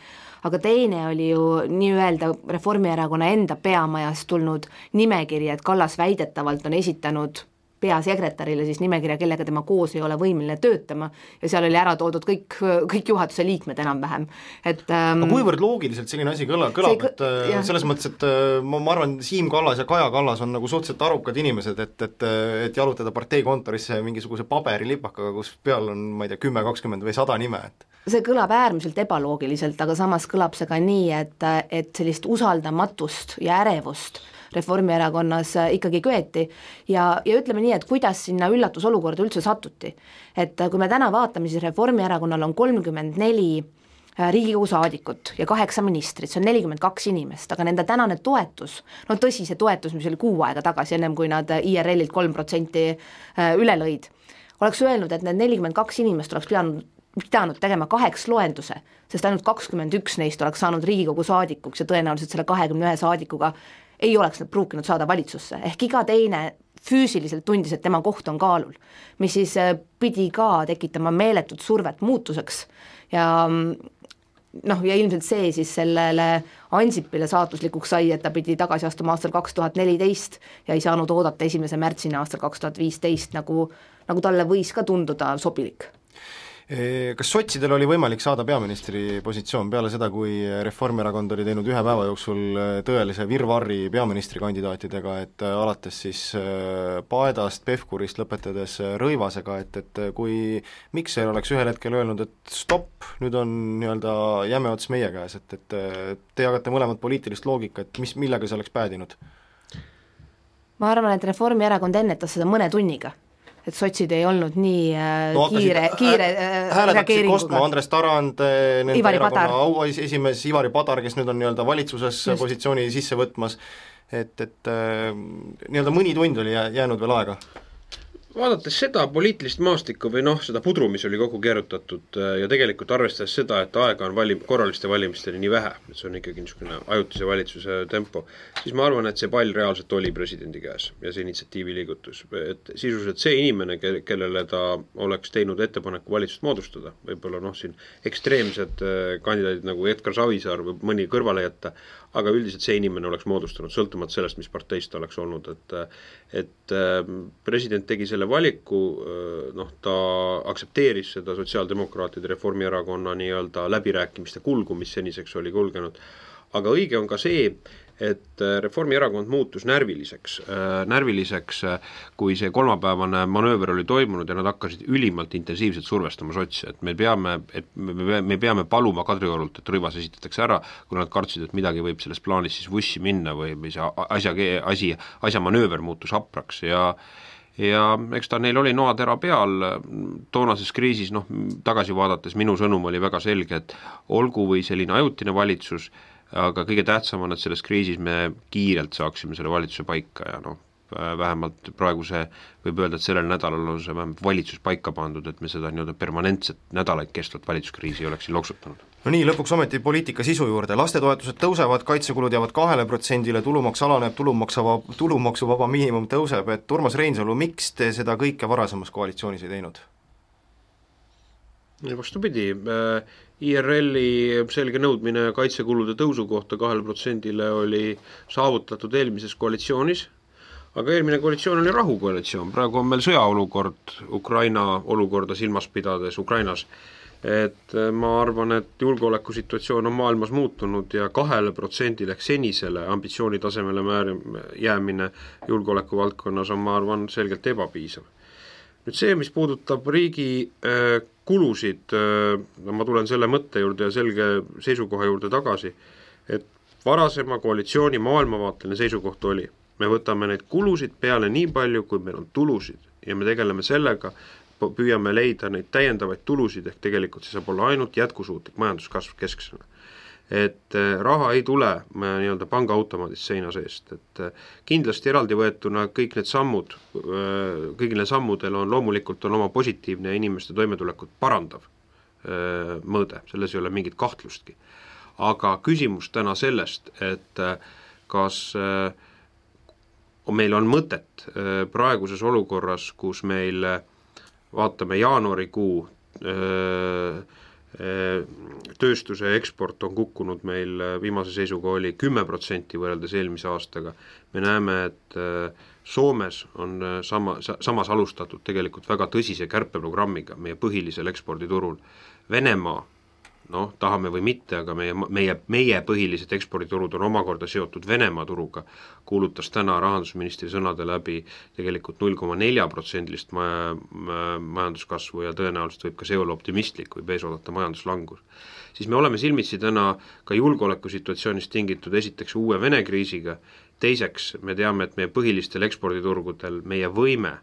aga teine oli ju nii-öelda Reformierakonna enda peamajast tulnud nimekiri, et Kallas väidetavalt on esitanud peasekretärile siis nimekirja, kellega tema koos ei ole võimeline töötama ja seal oli ära toodud kõik, kõik juhatuse liikmed enam-vähem. Et, ähm, aga kuivõrd loogiliselt selline asi kõlab, kõlab see, et jah. Selles mõttes, et ma, ma arvan, Siim Kallas ja Kaja Kallas on nagu suhteliselt arukad inimesed, et, et, et jalutada parteikontorisse mingisuguse paberilipakaga, kus peal on, ma ei tea, kümme, kakskümmend või sada nime, et see kõlab äärmiselt ebaloogiliselt, aga samas kõlab see ka nii, et, et sellist usaldamatust ja ärevust Reformierakonnas ikkagi köeti ja, ja ütleme nii, et kuidas sinna üllatusolukorda üldse satuti. Et kui me täna vaatame, siis Reformierakonnal on kolmkümmend neli Riigikogu saadikut ja kaheksa ministrit, see on nelikümmend kaks inimest, aga nende tänane toetus, no tõsi, see toetus, mis oli kuu aega tagasi, ennem kui nad I R L-ilt kolm protsenti üle lõid, oleks öelnud, et need nelikümmend kaks inimest oleks pidanud pidanud tegema kaheks loenduse, sest ainult kakskümmend üks neist oleks saanud Riigikogu saadikuks ja tõenäoliselt selle kahekümne ühe saadikuga ei oleks nad pruukinud saada valitsusse, ehk iga teine füüsiliselt tundis, et tema koht on kaalul, mis siis pidi ka tekitama meeletut survet muutuseks ja noh, ja ilmselt see siis sellele Ansipile saatuslikuks sai, et ta pidi tagasi astuma aastal kaks tuhat neliteist ja ei saanud oodata esimese märtsini aastal kaks tuhat viisteist, nagu, nagu talle võis ka tunduda sobilik. Kas sotsidel oli võimalik saada peaministri positsioon peale seda, kui Reformierakond oli teinud ühe päeva jooksul tõelise virvarri peaministrikandidaatidega, et alates siis Paedast, Pevkurist lõpetades Rõivasega, et, et kui Mikser oleks ühel hetkel öelnud, et stopp, nüüd on nii-öelda jäme ots meie käes, et, et te jagate mõlemad poliitilist loogika, et mis, millega see oleks päädinud? Ma arvan, et Reformierakond ennetas seda mõne tunniga, et sotsid ei olnud nii äh, no, kiire, kiire äh, reageeringuga. Kostma Andres Tarand, nende Ivari erakonna auesimees Ivari Padar, kes nüüd on nii-öelda valitsuses Just. positsiooni sisse võtmas, et, et äh, nii-öelda mõni tund oli jäänud veel aega. Vaadates seda poliitilist maastikku või noh, seda pudru, mis oli kokku keerutatud ja tegelikult arvestades seda, et aega on valim, korraliste valimisteni nii vähe, et see on ikkagi niisugune ajutise valitsuse tempo, siis ma arvan, et see pall reaalselt oli presidendi käes ja see initsiatiivi liigutus. Et sisuliselt see inimene, kellele ta oleks teinud ettepaneku valitsust moodustada, võib-olla noh, siin ekstreemsed kandidaadid nagu Edgar Savisaar või mõni kõrvale jätta, aga üldiselt see inimene oleks moodustanud, sõltumata sellest, mis parteist ta oleks olnud, et et president tegi selle valiku, noh, ta aktsepteeris seda sotsiaaldemokraatide Reformierakonna nii-öelda läbirääkimiste kulgu, mis seniseks oli kulgenud, aga õige on ka see, et Reformierakond muutus närviliseks, närviliseks, kui see kolmapäevane manööver oli toimunud ja nad hakkasid ülimalt intensiivselt survestama sotsi, et me peame, et me peame paluma Kadriorult, et Rõivas esitatakse ära, kui nad kartsid, et midagi võib selles plaanis siis vussi minna või, või see asja, asi, asja manööver muutus hapraks ja ja eks ta neil oli noatera peal toonases kriisis, noh, tagasi vaadates minu sõnum oli väga selge, et olgu või selline ajutine valitsus, aga kõige tähtsam on, et selles kriisis me kiirelt saaksime selle valitsuse paika ja noh, vähemalt praegu see võib öelda, et sellel nädalal on see vähemalt valitsus paika pandud, et me seda nii-öelda permanentset nädalaid kestvat valitsuskriisi oleks siin loksutanud. No nii, lõpuks ometi poliitika sisu juurde, lastetoetused tõusevad, kaitsekulud jäävad kahele protsendile, tulumaks alaneb, tulumaksuvaba, tulumaksuvaba miinimum tõuseb, et Urmas Reinsalu, miks te seda kõike varasemas koalitsioonis ei teinud? Vastupidi, I R L-i selge nõudmine kaitsekulude tõusu kohta kahele protsendile oli saavutatud eelmises koalitsioonis, aga eelmine koalitsioon oli rahukoalitsioon, praegu on meil sõjaolukord Ukraina olukorda silmas pidades Ukrainas, et ma arvan, et julgeolekusituatsioon on maailmas muutunud ja kahele protsendile ehk senisele ambitsioonitasemele määr, jäämine julgeoleku valdkonnas on, ma arvan, selgelt ebapiisav. Nüüd see, mis puudutab riigi äh, kulusid, äh, ma tulen selle mõtte juurde ja selge seisukoha juurde tagasi, et varasema koalitsiooni maailmavaateline seisukoht oli, me võtame neid kulusid peale nii palju, kui meil on tulusid ja me tegeleme sellega, püüame leida neid täiendavaid tulusid, ehk tegelikult see saab olla ainult jätkusuutlik majanduskasv kesksena. Et raha ei tule nii-öelda pangaautomaadist seina seest, et kindlasti eraldi võetuna kõik need sammud, kõigil need sammudel on loomulikult on oma positiivne ja inimeste toimetulekut parandav mõõde, selles ei ole mingit kahtlustki. Aga küsimus täna sellest, et kas meil on mõtet praeguses olukorras, kus meil vaatame jaanuarikuu tööstuse eksport on kukkunud meil viimase seisuga oli kümme protsenti võrreldes eelmise aastaga. Me näeme, et Soomes on sama, samas alustatud tegelikult väga tõsise kärpeprogrammiga meie põhilisel eksporditurul. Venemaa, noh, tahame või mitte, aga meie, meie, meie põhilised eksporditurud on omakorda seotud Venemaa turuga, kuulutas täna rahandusministri sõnade läbi tegelikult null koma neli protsendilist majanduskasvu ja tõenäoliselt võib ka see olla optimistlik või ees oodata majanduslangus. Siis me oleme silmitsi täna ka julgeolekusituatsioonist tingitud esiteks uue Vene kriisiga, teiseks me teame, et meie põhilistel eksporditurgudel meie võime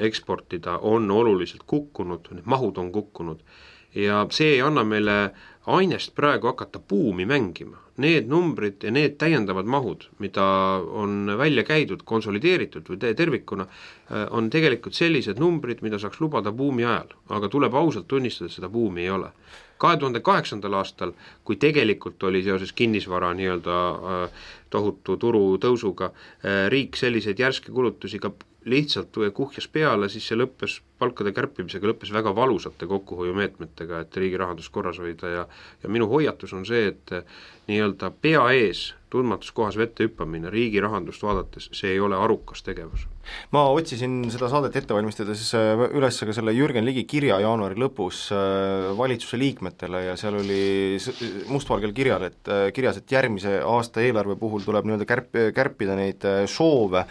eksportida on oluliselt kukkunud, need mahud on kukkunud ja see ei anna meile ainest praegu hakata buumi mängima. Need numbrid ja need täiendavad mahud, mida on välja käidud, konsolideeritud või tervikuna, on tegelikult sellised numbrid, mida saaks lubada buumi ajal, aga tuleb ausalt tunnistada, et seda buumi ei ole. kahe tuhande kaheksandal aastal, kui tegelikult oli seoses kinnisvara nii-öelda tohutu turu tõusuga, riik selliseid järske kulutusi ka lihtsalt kuhjas peale, siis see lõppes palkade kärpimisega, lõppes väga valusate kokkuhoiumeetmetega, et riigi rahandus korras hoida ja, ja minu hoiatus on see, et nii-öelda pea ees tundmatus kohas vette hüppamine riigi rahandust vaadates, see ei ole arukas tegevus. ma otsisin seda saadet ette valmistades üles ka selle Jürgen Ligi kirja jaanuari lõpus valitsuse liikmetele ja seal oli mustvalgel kirjal, et kirjas, et järgmise aasta eelarve puhul tuleb nii-öelda kärp, kärpida neid soove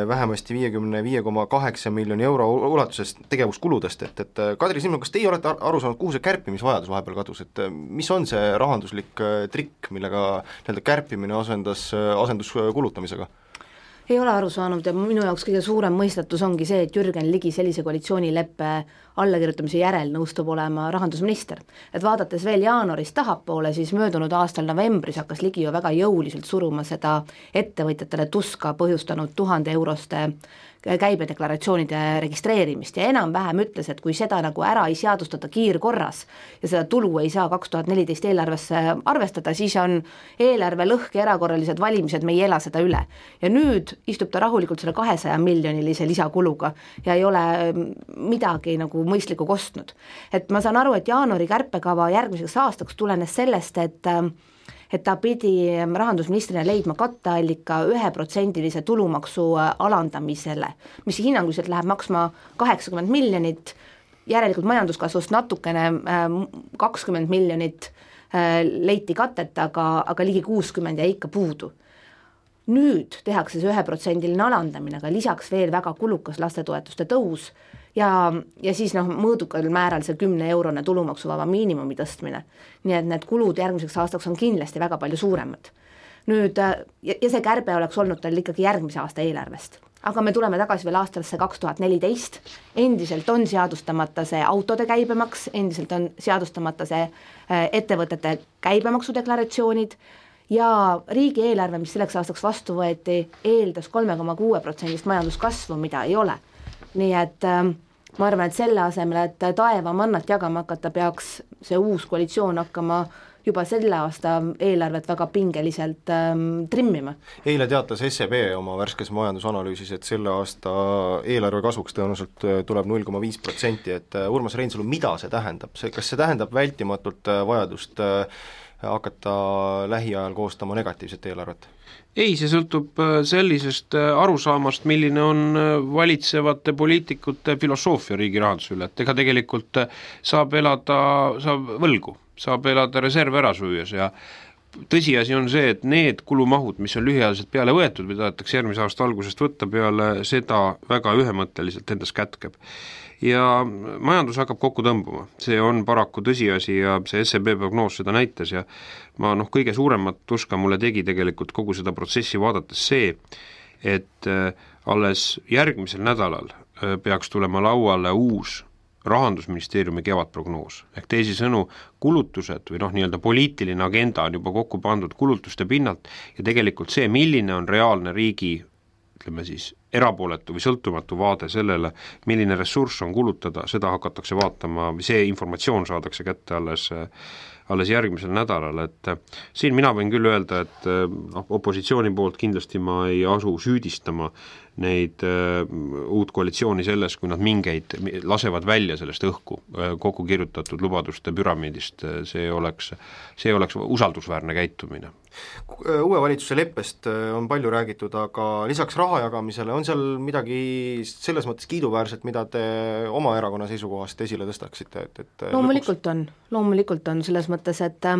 vähemasti viiekümne viie koma kaheksa miljoni euro ulatuses tegevuskuludest, et, et Kadri Simson, kas teie olete aru saanud, kuhu see kärpimisvajadus vahepeal kadus, et mis on see rahanduslik trikk, millega nii-öelda kärpimine asendas, asendus kulutamisega? Ei ole aru saanud ja minu jaoks kõige suurem mõistatus ongi see, et Jürgen Ligi sellise koalitsioonileppe allakirjutamise järel nõustub olema rahandusminister. Et vaadates veel jaanuarist tahapoole, siis möödunud aastal novembris hakkas Ligi ju väga jõuliselt suruma seda ettevõtjatele tuska põhjustanud tuhande euroste käibedeklaratsioonide registreerimist ja enam-vähem ütles, et kui seda nagu ära ei seadustata kiirkorras ja seda tulu ei saa kaks tuhat neliteist eelarvesse arvestada, siis on eelarve lõhk ja erakorralised valimised, me ei ela seda üle. Ja nüüd istub ta rahulikult selle kahesaja miljonilise lisakuluga ja ei ole midagi nagu mõistlikku kostnud. Et ma saan aru, et jaanuari kärpekava järgmiseks aastaks tulenes sellest, et et ta pidi rahandusministrina leidma katteallika üheprotsendilise tulumaksu alandamisele, mis hinnanguliselt läheb maksma kaheksakümmend miljonit, järelikult majanduskasvust natukene kakskümmend miljonit leiti katet, aga, aga ligi kuuskümmend ja ikka puudu. Nüüd tehakse see üheprotsendiline alandamine, aga lisaks veel väga kulukas lastetoetuste tõus ja, ja siis noh, mõõdukal määral see kümne eurone tulumaksuvaba miinimumi tõstmine. Nii et need kulud järgmiseks aastaks on kindlasti väga palju suuremad. Nüüd, ja, ja see kärbe oleks olnud tal ikkagi järgmise aasta eelarvest. Aga me tuleme tagasi veel aastasse kaks tuhat neliteist, endiselt on seadustamata see autode käibemaks, endiselt on seadustamata see ettevõtete käibemaksudeklaratsioonid, ja riigieelarve, mis selleks aastaks vastu võeti, eeldas kolme koma kuue protsendist majanduskasvu, mida ei ole. Nii et äh, ma arvan, et selle asemel, et taeva mannat jagama hakata, peaks see uus koalitsioon hakkama juba selle aasta eelarvet väga pingeliselt ähm, trimmima. Eile teatas S E B oma värskes majandusanalüüsis, et selle aasta eelarve kasvuks tõenäoliselt tuleb null koma viis protsenti, et Urmas Reinsalu, mida see tähendab? See, kas see tähendab vältimatult vajadust äh, hakata lähiajal koostama negatiivset eelarvet? Ei, see sõltub sellisest arusaamast, milline on valitsevate poliitikute filosoofia riigi rahanduse üle, et ega tegelikult saab elada, saab võlgu, saab elada reserv ära süües ja tõsiasi on see, et need kulumahud, mis on lühiajaliselt peale võetud, mida tahetakse järgmise aasta algusest võtta, peale seda väga ühemõtteliselt endas kätkeb. Ja majandus hakkab kokku tõmbuma, see on paraku tõsiasi ja see S E B prognoos seda näitas ja ma noh, kõige suuremat tuska mulle tegi tegelikult kogu seda protsessi vaadates see, et alles järgmisel nädalal peaks tulema lauale uus rahandusministeeriumi kevadprognoos. Ehk teisisõnu, kulutused või noh, nii-öelda poliitiline agenda on juba kokku pandud kulutuste pinnalt ja tegelikult see, milline on reaalne riigi ütleme siis erapooletu või sõltumatu vaade sellele, milline ressurss on kulutada, seda hakatakse vaatama, see informatsioon saadakse kätte alles, alles järgmisel nädalal, et siin mina võin küll öelda, et noh, opositsiooni poolt kindlasti ma ei asu süüdistama neid uh, uut koalitsiooni selles, kui nad mingeid lasevad välja sellest õhku uh, kokku kirjutatud lubaduste püramiidist, see oleks, see oleks usaldusväärne käitumine. Uue valitsuse leppest on palju räägitud, aga lisaks raha jagamisele on seal midagi selles mõttes kiiduväärset, mida te oma erakonna seisukohast esile tõstaksite? Et, et loomulikult lõpuks... on, loomulikult on selles mõttes, et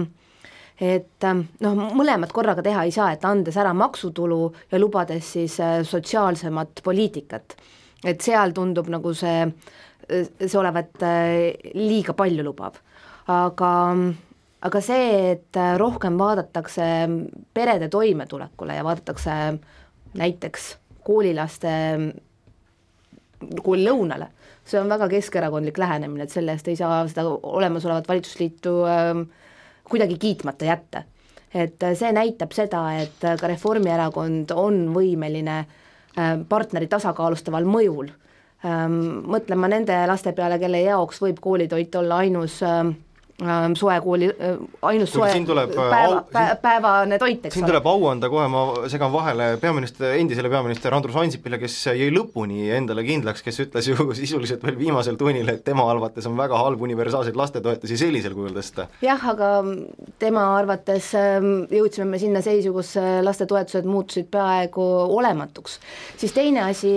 et noh, mõlemad korraga teha ei saa, et andes ära maksutulu ja lubades siis sotsiaalsemat poliitikat. Et seal tundub nagu see, see olevat liiga palju lubab. Aga, aga see, et rohkem vaadatakse perede toimetulekule ja vaadatakse näiteks koolilaste koolilõunale, see on väga keskerakondlik lähenemine, et selle eest ei saa seda olemasolevat valitsusliitu äh, kuidagi kiitmata jätta. Et see näitab seda, et ka Reformierakond on võimeline partneri tasakaalustaval mõjul mõtlema nende laste peale, kelle jaoks võib koolitoit olla ainus soekooli, ainus soe tuleb, päeva, au, päevane toit, eks siin ole. tuleb au anda kohe, ma segan vahele peaminister, endisele peaminister Andrus Ansipile, kes jäi lõpuni endale kindlaks, kes ütles ju sisuliselt veel viimasel tunnil, et tema arvates on väga halb universaalseid lastetoetusi sellisel kujul tõsta. jah, aga tema arvates jõudsime me sinna seisu, kus lastetoetused muutusid peaaegu olematuks. Siis teine asi,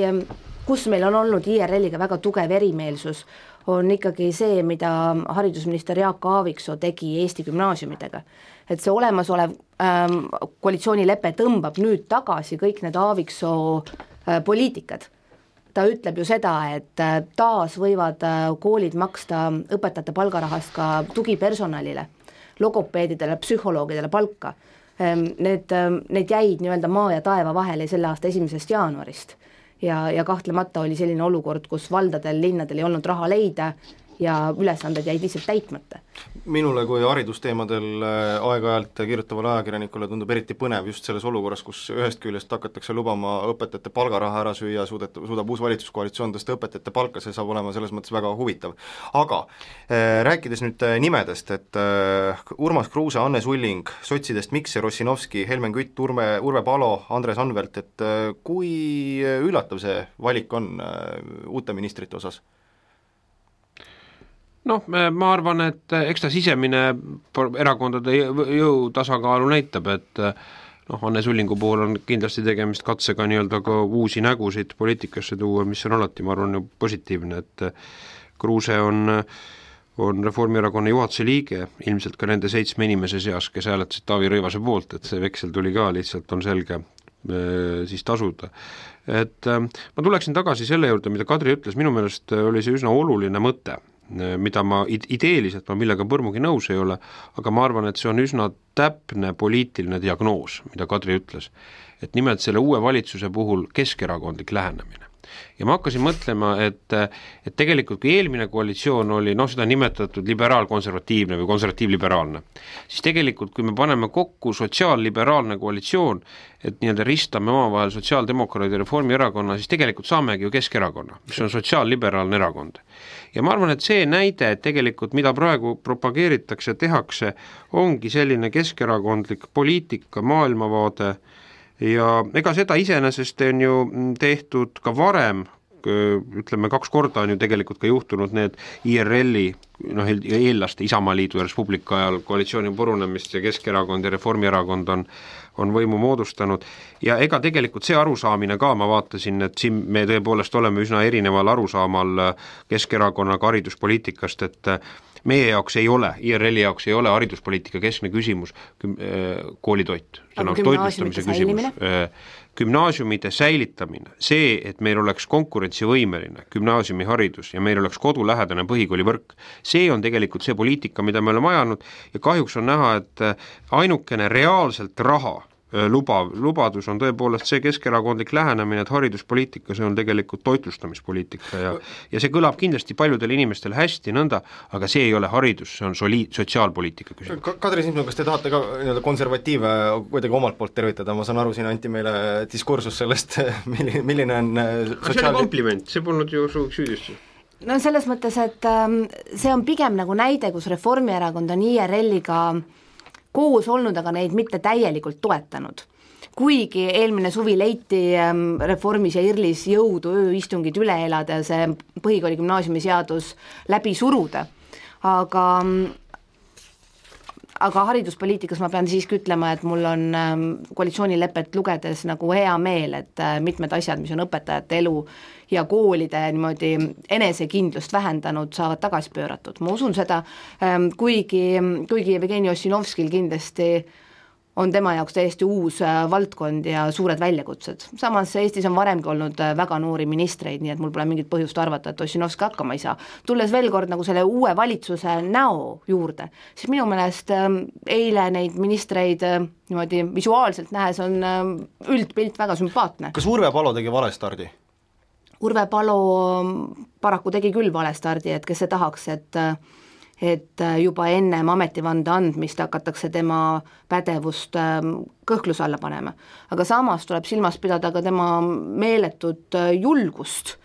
kus meil on olnud I R L-iga väga tugev erimeelsus, on ikkagi see, mida haridusminister Jaak Aaviksoo tegi Eesti gümnaasiumidega. Et see olemasolev ähm, koalitsioonilepe tõmbab nüüd tagasi kõik need Aaviksoo äh, poliitikad. Ta ütleb ju seda, et äh, taas võivad äh, koolid maksta õpetajate palgarahast ka tugipersonalile, logopeedidele, psühholoogidele palka. Ähm, need, äh, need jäid nii-öelda maa ja taeva vahele selle aasta esimesest jaanuarist. Ja, ja kahtlemata oli selline olukord, kus valdadel, linnadel ei olnud raha leida ja ülesanded jäid lihtsalt täitmata. Minule kui haridusteemadel aeg-ajalt kirjutavale ajakirjanikule tundub eriti põnev just selles olukorras, kus ühest küljest hakatakse lubama õpetajate palgaraha ära süüa, suudab, suudab uus valitsuskoalitsioon tõsta õpetajate palka, see saab olema selles mõttes väga huvitav. Aga äh, rääkides nüüd nimedest, et äh, Urmas Kruuse, Anne Sulling, sotsidest Mikser, Ossinovski, Helmen Kütt, Urve, Urve Palo, Andres Anvelt, et äh, kui üllatav see valik on äh, uute ministrite osas? Noh, ma arvan, et eks ta sisemine erakondade jõu tasakaalu näitab, et noh, Anne Sullingu puhul on kindlasti tegemist katsega nii-öelda ka uusi nägusid poliitikasse tuua, mis on alati, ma arvan, positiivne, et Kruuse on, on Reformierakonna juhatuse liige, ilmselt ka nende seitsme inimese seas, kes hääletasid Taavi Rõivase poolt, et see veksel tuli ka, lihtsalt on selge siis tasuda. Et ma tuleksin tagasi selle juurde, mida Kadri ütles, minu meelest oli see üsna oluline mõte, mida ma ideeliselt ma millega põrmugi nõus ei ole, aga ma arvan, et see on üsna täpne poliitiline diagnoos, mida Kadri ütles, et nimelt selle uue valitsuse puhul keskerakondlik lähenemine. Ja ma hakkasin mõtlema, et, et tegelikult kui eelmine koalitsioon oli, noh seda nimetatud liberaal-konservatiivne või konservatiivliberaalne, siis tegelikult kui me paneme kokku sotsiaalliberaalne koalitsioon, et nii-öelda ristame omavahel sotsiaaldemokraadi ja Reformierakonna, siis tegelikult saamegi ju Keskerakonna, mis on sotsiaalliberaalne erakond. Ja ma arvan, et see näide, et tegelikult mida praegu propageeritakse, tehakse, ongi selline keskerakondlik poliitika, maailmavaade, ja ega seda iseenesest on ju tehtud ka varem, ütleme kaks korda on ju tegelikult ka juhtunud need I R L-i, noh eellaste Isamaaliidu ja Res Publica ajal koalitsiooni purunemist ja Keskerakond ja Reformierakond on, on võimu moodustanud ja ega tegelikult see arusaamine ka, ma vaatasin, et siin me tõepoolest oleme üsna erineval arusaamal Keskerakonnaga hariduspoliitikast, et meie jaoks ei ole, I R L-i jaoks ei ole hariduspoliitika keskne küsimus koolitoit, see on toitlustamise küsimus, gümnaasiumide säilitamine, see, et meil oleks konkurentsivõimeline gümnaasiumiharidus ja meil oleks kodulähedane põhikoolivõrk, see on tegelikult see poliitika, mida me oleme ajanud ja kahjuks on näha, et ainukene reaalselt raha lubav, lubadus on tõepoolest see keskerakondlik lähenemine, et hariduspoliitika, see on tegelikult toitlustamispoliitika ja, ja see kõlab kindlasti paljudel inimestel hästi nõnda, aga see ei ole haridus, see on soli, sotsiaalpoliitika küsimus. Kadri Simson, kas te tahate ka nii-öelda konservatiive kuidagi omalt poolt tervitada, ma saan aru, siin anti meile diskursus sellest, milline, milline on sotsiaal... see oli kompliment, see polnud ju suuks süüdistus. No selles mõttes, et see on pigem nagu näide, kus Reformierakond on I R L-iga koos olnud, aga neid mitte täielikult toetanud. Kuigi eelmine suvi leiti Reformis ja IRLis jõudu ööistungid üle elada ja see põhikooli gümnaasiumi seadus läbi suruda, aga aga hariduspoliitikas ma pean siiski ütlema, et mul on koalitsioonilepet lugedes nagu hea meel, et mitmed asjad, mis on õpetajate elu ja koolide niimoodi enesekindlust vähendanud, saavad tagasi pööratud. Ma usun seda, kuigi, kuigi Jevgeni Ossinovskil kindlasti on tema jaoks täiesti uus valdkond ja suured väljakutsed. Samas Eestis on varemgi olnud väga noori ministreid, nii et mul pole mingit põhjust arvata, et Ossinovski hakkama ei saa. Tulles veel kord nagu selle uue valitsuse näo juurde, siis minu meelest eile neid ministreid niimoodi visuaalselt nähes on üldpilt väga sümpaatne. Kas Urve Palo tegi vale stardi? Urve Palo paraku tegi küll vale stardi, et kes see tahaks, et et juba ennem ametivande andmist hakatakse tema pädevust kõhkluse alla panema. Aga samas tuleb silmas pidada ka tema meeletut julgust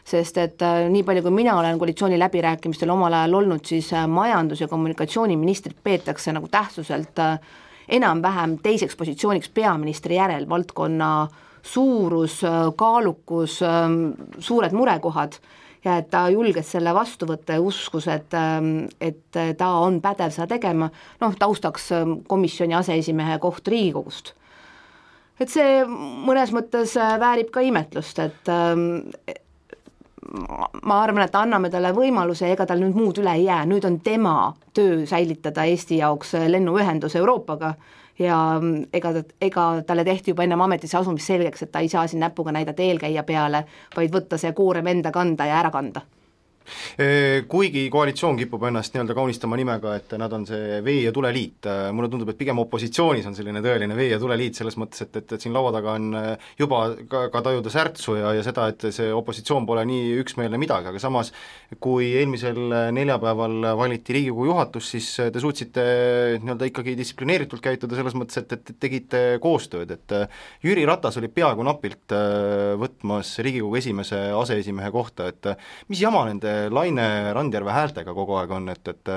sest et nii palju, kui mina olen koalitsiooni läbirääkimistel omal ajal olnud, siis majandus- ja kommunikatsiooniministrit peetakse nagu tähtsuselt enam-vähem teiseks positsiooniks peaministri järel, valdkonna suurus, kaalukus, suured murekohad, ja et ta julges selle vastu võtta ja uskus, et, et ta on pädev seda tegema, noh, taustaks komisjoni aseesimehe koht Riigikogust. Et see mõnes mõttes väärib ka imetlust, et ma arvan, et anname talle võimaluse, ega tal nüüd muud üle ei jää, nüüd on tema töö säilitada Eesti jaoks lennuühendus Euroopaga, ja ega, ega talle tehti juba ennem ametisse asumist selgeks, et ta ei saa siin näpuga näidata eelkäija peale, vaid võtta see koorem enda kanda ja ära kanda. Kuigi koalitsioon kipub ennast nii-öelda kaunistama nimega, et nad on see vee- ja tuleliit, mulle tundub, et pigem opositsioonis on selline tõeline vee- ja tuleliit selles mõttes, et, et, et siin laua taga on juba ka, ka tajuda särtsu ja, ja seda, et see opositsioon pole nii üksmeelne midagi, aga samas kui eelmisel neljapäeval valiti Riigikogu juhatus, siis te suutsite nii-öelda ikkagi distsiplineeritult käituda selles mõttes, et, et tegite koostööd, et Jüri Ratas oli peaaegu napilt võtmas Riigikogu esimese aseesimehe kohta, et mis jama nende Laine Randjärve häältega kogu aeg on, et, et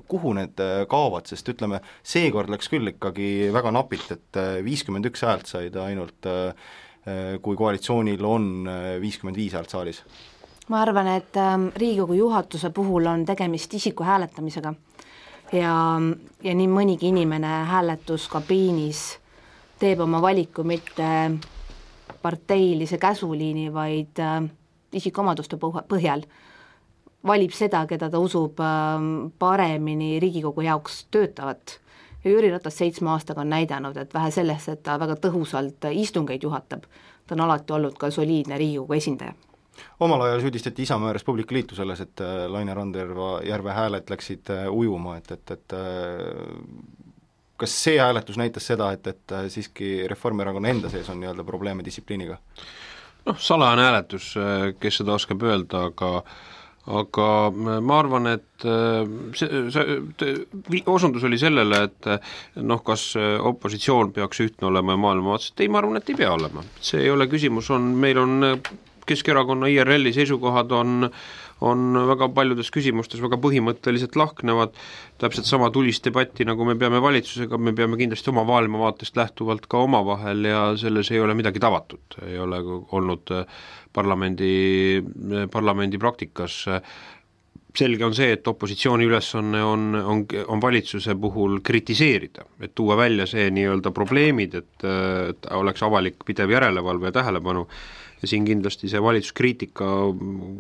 kuhu need kaovad, sest ütleme, seekord läks küll ikkagi väga napilt, et viiskümmend üks häält said ainult, kui koalitsioonil on viiskümmend viis häält saalis. Ma arvan, et Riigikogu juhatuse puhul on tegemist isiku hääletamisega ja, ja nii mõnigi inimene hääletuskabiinis teeb oma valiku mitte parteilise käsuliini, vaid isikuomaduste põhjal valib seda, keda ta usub paremini Riigikogu jaoks töötavat. Ja Jüri Ratas seitsme aastaga on näidanud, et vähe sellest, et ta väga tõhusalt istungeid juhatab, ta on alati olnud ka soliidne Riigikogu esindaja. Omal ajal süüdistati Isamaa Respublika Liitu selles, et Laine Randjärve hääled läksid ujuma, et, et, et kas see hääletus näitas seda, et, et siiski Reformierakonna enda sees on nii-öelda probleeme distsipliiniga? Noh, salajane hääletus, kes seda oskab öelda, aga aga ma arvan, et see, see osundus oli sellele, et noh, kas opositsioon peaks ühtne olema ja maailma vaatast, ei, ma arvan, et ei pea olema. See ei ole küsimus, on, meil on Keskerakonna I R L-i seisukohad on on väga paljudes küsimustes väga põhimõtteliselt lahknevad, täpselt sama tulist debatti, nagu me peame valitsusega, me peame kindlasti oma maailmavaatest lähtuvalt ka omavahel ja selles ei ole midagi tavatut, ei ole olnud parlamendi, parlamendi praktikas. Selge on see, et opositsiooni ülesanne on, on, on valitsuse puhul kritiseerida, et tuua välja see nii-öelda probleemid, et, et oleks avalik pidev järelevalve ja tähelepanu. Ja siin kindlasti see valitsuskriitika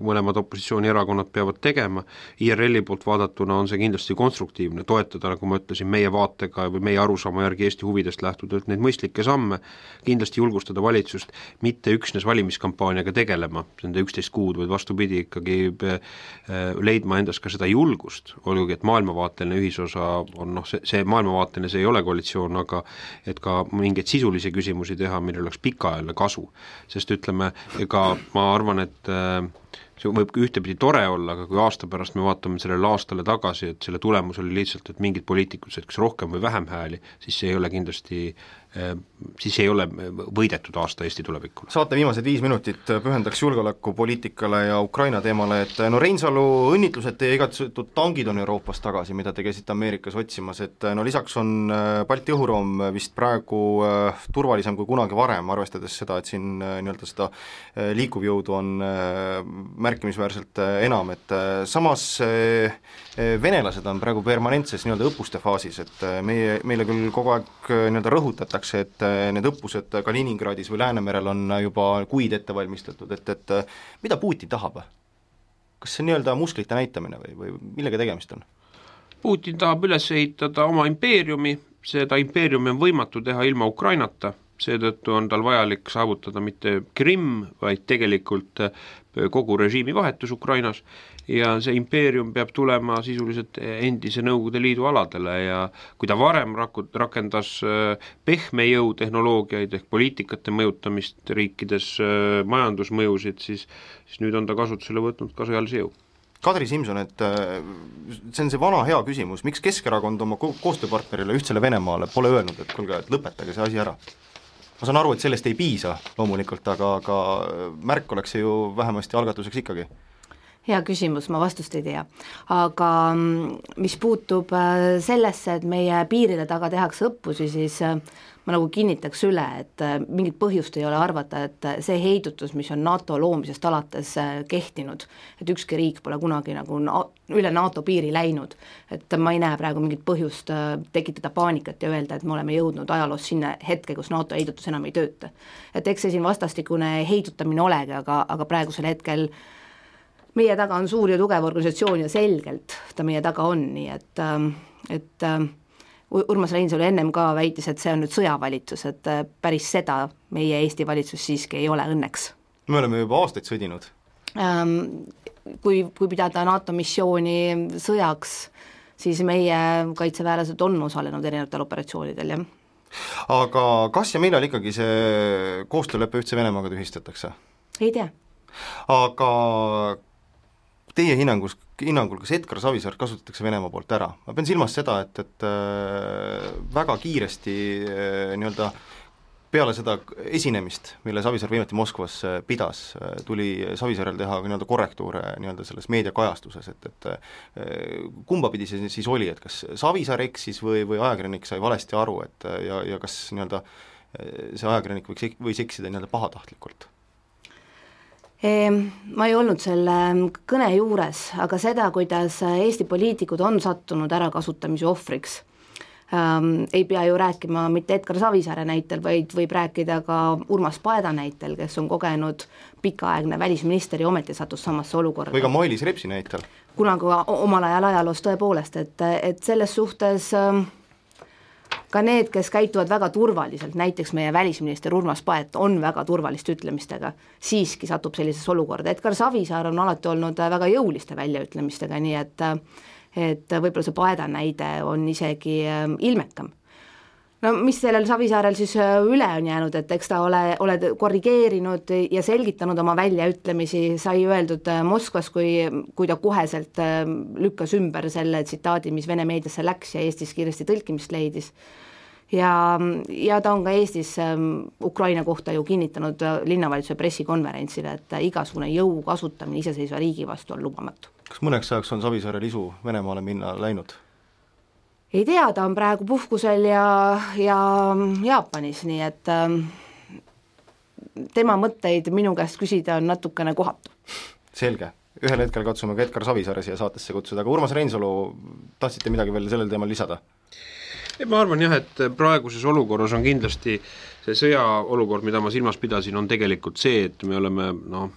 mõlemad opositsioonierakonnad peavad tegema, I R L-i poolt vaadatuna on see kindlasti konstruktiivne, toetada, nagu ma ütlesin, meie vaatega või meie arusaama järgi Eesti huvidest lähtuda, et neid mõistlikke samme kindlasti julgustada valitsust, mitte üksnes valimiskampaaniaga tegelema, nende üksteist kuud, vaid vastupidi ikkagi leidma endas ka seda julgust, olgugi, et maailmavaateline ühisosa on, noh, see, see maailmavaateline, see ei ole koalitsioon, aga et ka mingeid sisulisi küsimusi teha, millel oleks pikaajaline kasu, sest ütleme, ega ma arvan, et see võib ühtepidi tore olla, aga kui aasta pärast me vaatame sellele aastale tagasi, et selle tulemus oli lihtsalt, et mingid poliitikud said kas rohkem või vähem hääli, siis see ei ole kindlasti, siis ei ole võidetud aasta Eesti tulevikule. Saate viimased viis minutit pühendaks julgeolekupoliitikale ja Ukraina teemale, et no Reinsalu õnnitlused, teie igatsetud tangid on Euroopas tagasi, mida te käisite Ameerikas otsimas, et no lisaks on Balti õhuruum vist praegu turvalisem kui kunagi varem, arvestades seda, et siin nii-öelda seda liikuvjõudu on märkimisväärselt enam, et samas venelased on praegu permanentses nii-öelda õppuste faasis, et meie, meile küll kogu aeg nii-öelda rõhutatakse, et need õppused Kaliningradis või Läänemerel on juba kuid ette valmistatud, et, et mida Putin tahab? Kas see nii-öelda musklite näitamine või, või millega tegemist on? Putin tahab üles ehitada oma impeeriumi, seda impeeriumi on võimatu teha ilma Ukrainata, seetõttu on tal vajalik saavutada mitte Krimm, vaid tegelikult kogu režiimi vahetus Ukrainas ja see impeerium peab tulema sisuliselt endise Nõukogude Liidu aladele ja kui ta varem rakendas pehme jõutehnoloogiaid ehk poliitikate mõjutamist riikides majandusmõjusid, siis, siis nüüd on ta kasutusele võtnud ka sõjalise jõu. Kadri Simson, et see on see vana hea küsimus, miks Keskerakond oma koostööpartnerile ühtsele Venemaale pole öelnud, et kuulge, et lõpetage see asi ära? ma saan aru, et sellest ei piisa loomulikult, aga, aga märk oleks see ju vähemasti algatuseks ikkagi. Hea küsimus, ma vastust ei tea. Aga mis puutub sellesse, et meie piiride taga tehakse õppusi, siis ma nagu kinnitaks üle, et mingit põhjust ei ole arvata, et see heidutus, mis on NATO loomisest alates kehtinud, et ükski riik pole kunagi nagu üle NATO piiri läinud, et ma ei näe praegu mingit põhjust tekitada paanikat ja öelda, et me oleme jõudnud ajaloos sinna hetke, kus NATO heidutus enam ei tööta. Et eks see siin vastastikune heidutamine olegi, aga, aga praegusel hetkel meie taga on suur ja tugev organisatsioon ja selgelt ta meie taga on, nii et, et Urmas Reinsalu ennem ka väitis, et see on nüüd sõjavalitsus, et päris seda meie Eesti valitsus siiski ei ole õnneks. Me oleme juba aastaid sõdinud. Kui, kui pidada NATO missiooni sõjaks, siis meie kaitseväelased on osalenud erinevatel operatsioonidel, jah. Aga kas ja millal ikkagi see koostööleppe ühtse Venemaaga tühistatakse? Ei tea. Aga teie hinnangus, hinnangul, kas Edgar Savisaar kasutatakse Venemaa poolt ära? Ma pean silmas seda, et, et väga kiiresti nii-öelda peale seda esinemist, mille Savisaar viimati Moskvas pidas, tuli Savisaarel teha nii-öelda korrektuure nii-öelda selles meediakajastuses, et, et kumba pidi see siis oli, et kas Savisaar eksis või, või ajakirjanik sai valesti aru, et ja, ja kas nii-öelda see ajakirjanik võiks, võis eksida nii-öelda pahatahtlikult? Ma ei olnud selle kõne juures, aga seda, kuidas Eesti poliitikud on sattunud ärakasutamise ohvriks, ähm, ei pea ju rääkima mitte Edgar Savisaare näitel, vaid võib rääkida ka Urmas Paeda näitel, kes on kogenud pikaaegne välisminister ja ometi sattus samasse olukorda. Või ka Mailis Repsi näitel. Kunagi omal ajal ajaloos tõepoolest, et, et selles suhtes ähm, ka need, kes käituvad väga turvaliselt, näiteks meie välisminister Urmas Paet on väga turvaliste ütlemistega, siiski satub sellises olukorda. Edgar Savisaar on alati olnud väga jõuliste väljaütlemistega, nii et, et võib-olla see Paeda näide on isegi ilmekam. No mis sellel Savisaarel siis üle on jäänud, et eks ta ole, oled korrigeerinud ja selgitanud oma väljaütlemisi, sai öeldud Moskvas, kui, kui ta koheselt lükkas ümber selle tsitaadi, mis Vene meediasse läks ja Eestis kiiresti tõlkimist leidis. Ja, ja ta on ka Eestis Ukraina kohta ju kinnitanud linnavalitsuse pressikonverentsile, et igasugune jõu kasutamine iseseisva riigi vastu on lubamatu. Kas mõneks ajaks on Savisaarel isu Venemaale minna läinud? Ei tea, ta on praegu puhkusel ja, ja Jaapanis, nii et ähm, tema mõtteid minu käest küsida on natukene kohatu. Selge. Ühel hetkel katsume ka Edgar Savisaare siia saatesse kutsuda, aga Urmas Reinsalu, tahtsite midagi veel sellel teemal lisada? Ma arvan jah, et praeguses olukorras on kindlasti see sõja olukord, mida ma silmas pidasin, on tegelikult see, et me oleme noh,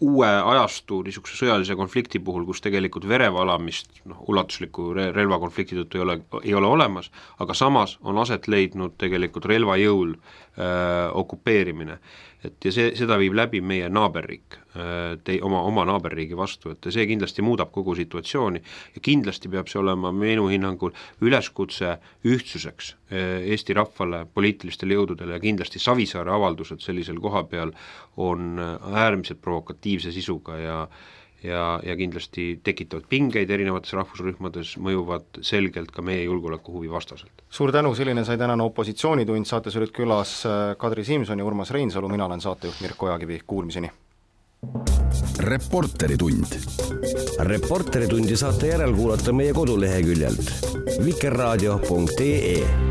uue ajastu niisuguse sõjalise konflikti puhul, kus tegelikult verevalamist noh, ulatusliku relvakonflikti tõttu ei ole, ei ole olemas, aga samas on aset leidnud tegelikult relvajõul äh, okupeerimine. Et ja see, seda viib läbi meie naaberriik, te, oma, oma naaberriigi vastu, et see kindlasti muudab kogu situatsiooni ja kindlasti peab see olema minu hinnangul üleskutse ühtsuseks Eesti rahvale, poliitilistele jõududele ja kindlasti Savisaare avaldused sellisel koha peal on äärmiselt provokatiivse sisuga ja ja, ja kindlasti tekitavad pingeid erinevates rahvusrühmades, mõjuvad selgelt ka meie julgeolekuhuvi vastaselt. Suur tänu, selline sai tänane opositsioonitund, saates olid külas Kadri Simson ja Urmas Reinsalu, mina olen saatejuht Mirko Ojakivi, kuulmiseni. Reporteritund. Reporteritundi saate järel kuulata meie koduleheküljelt vikerraadio punkt ee.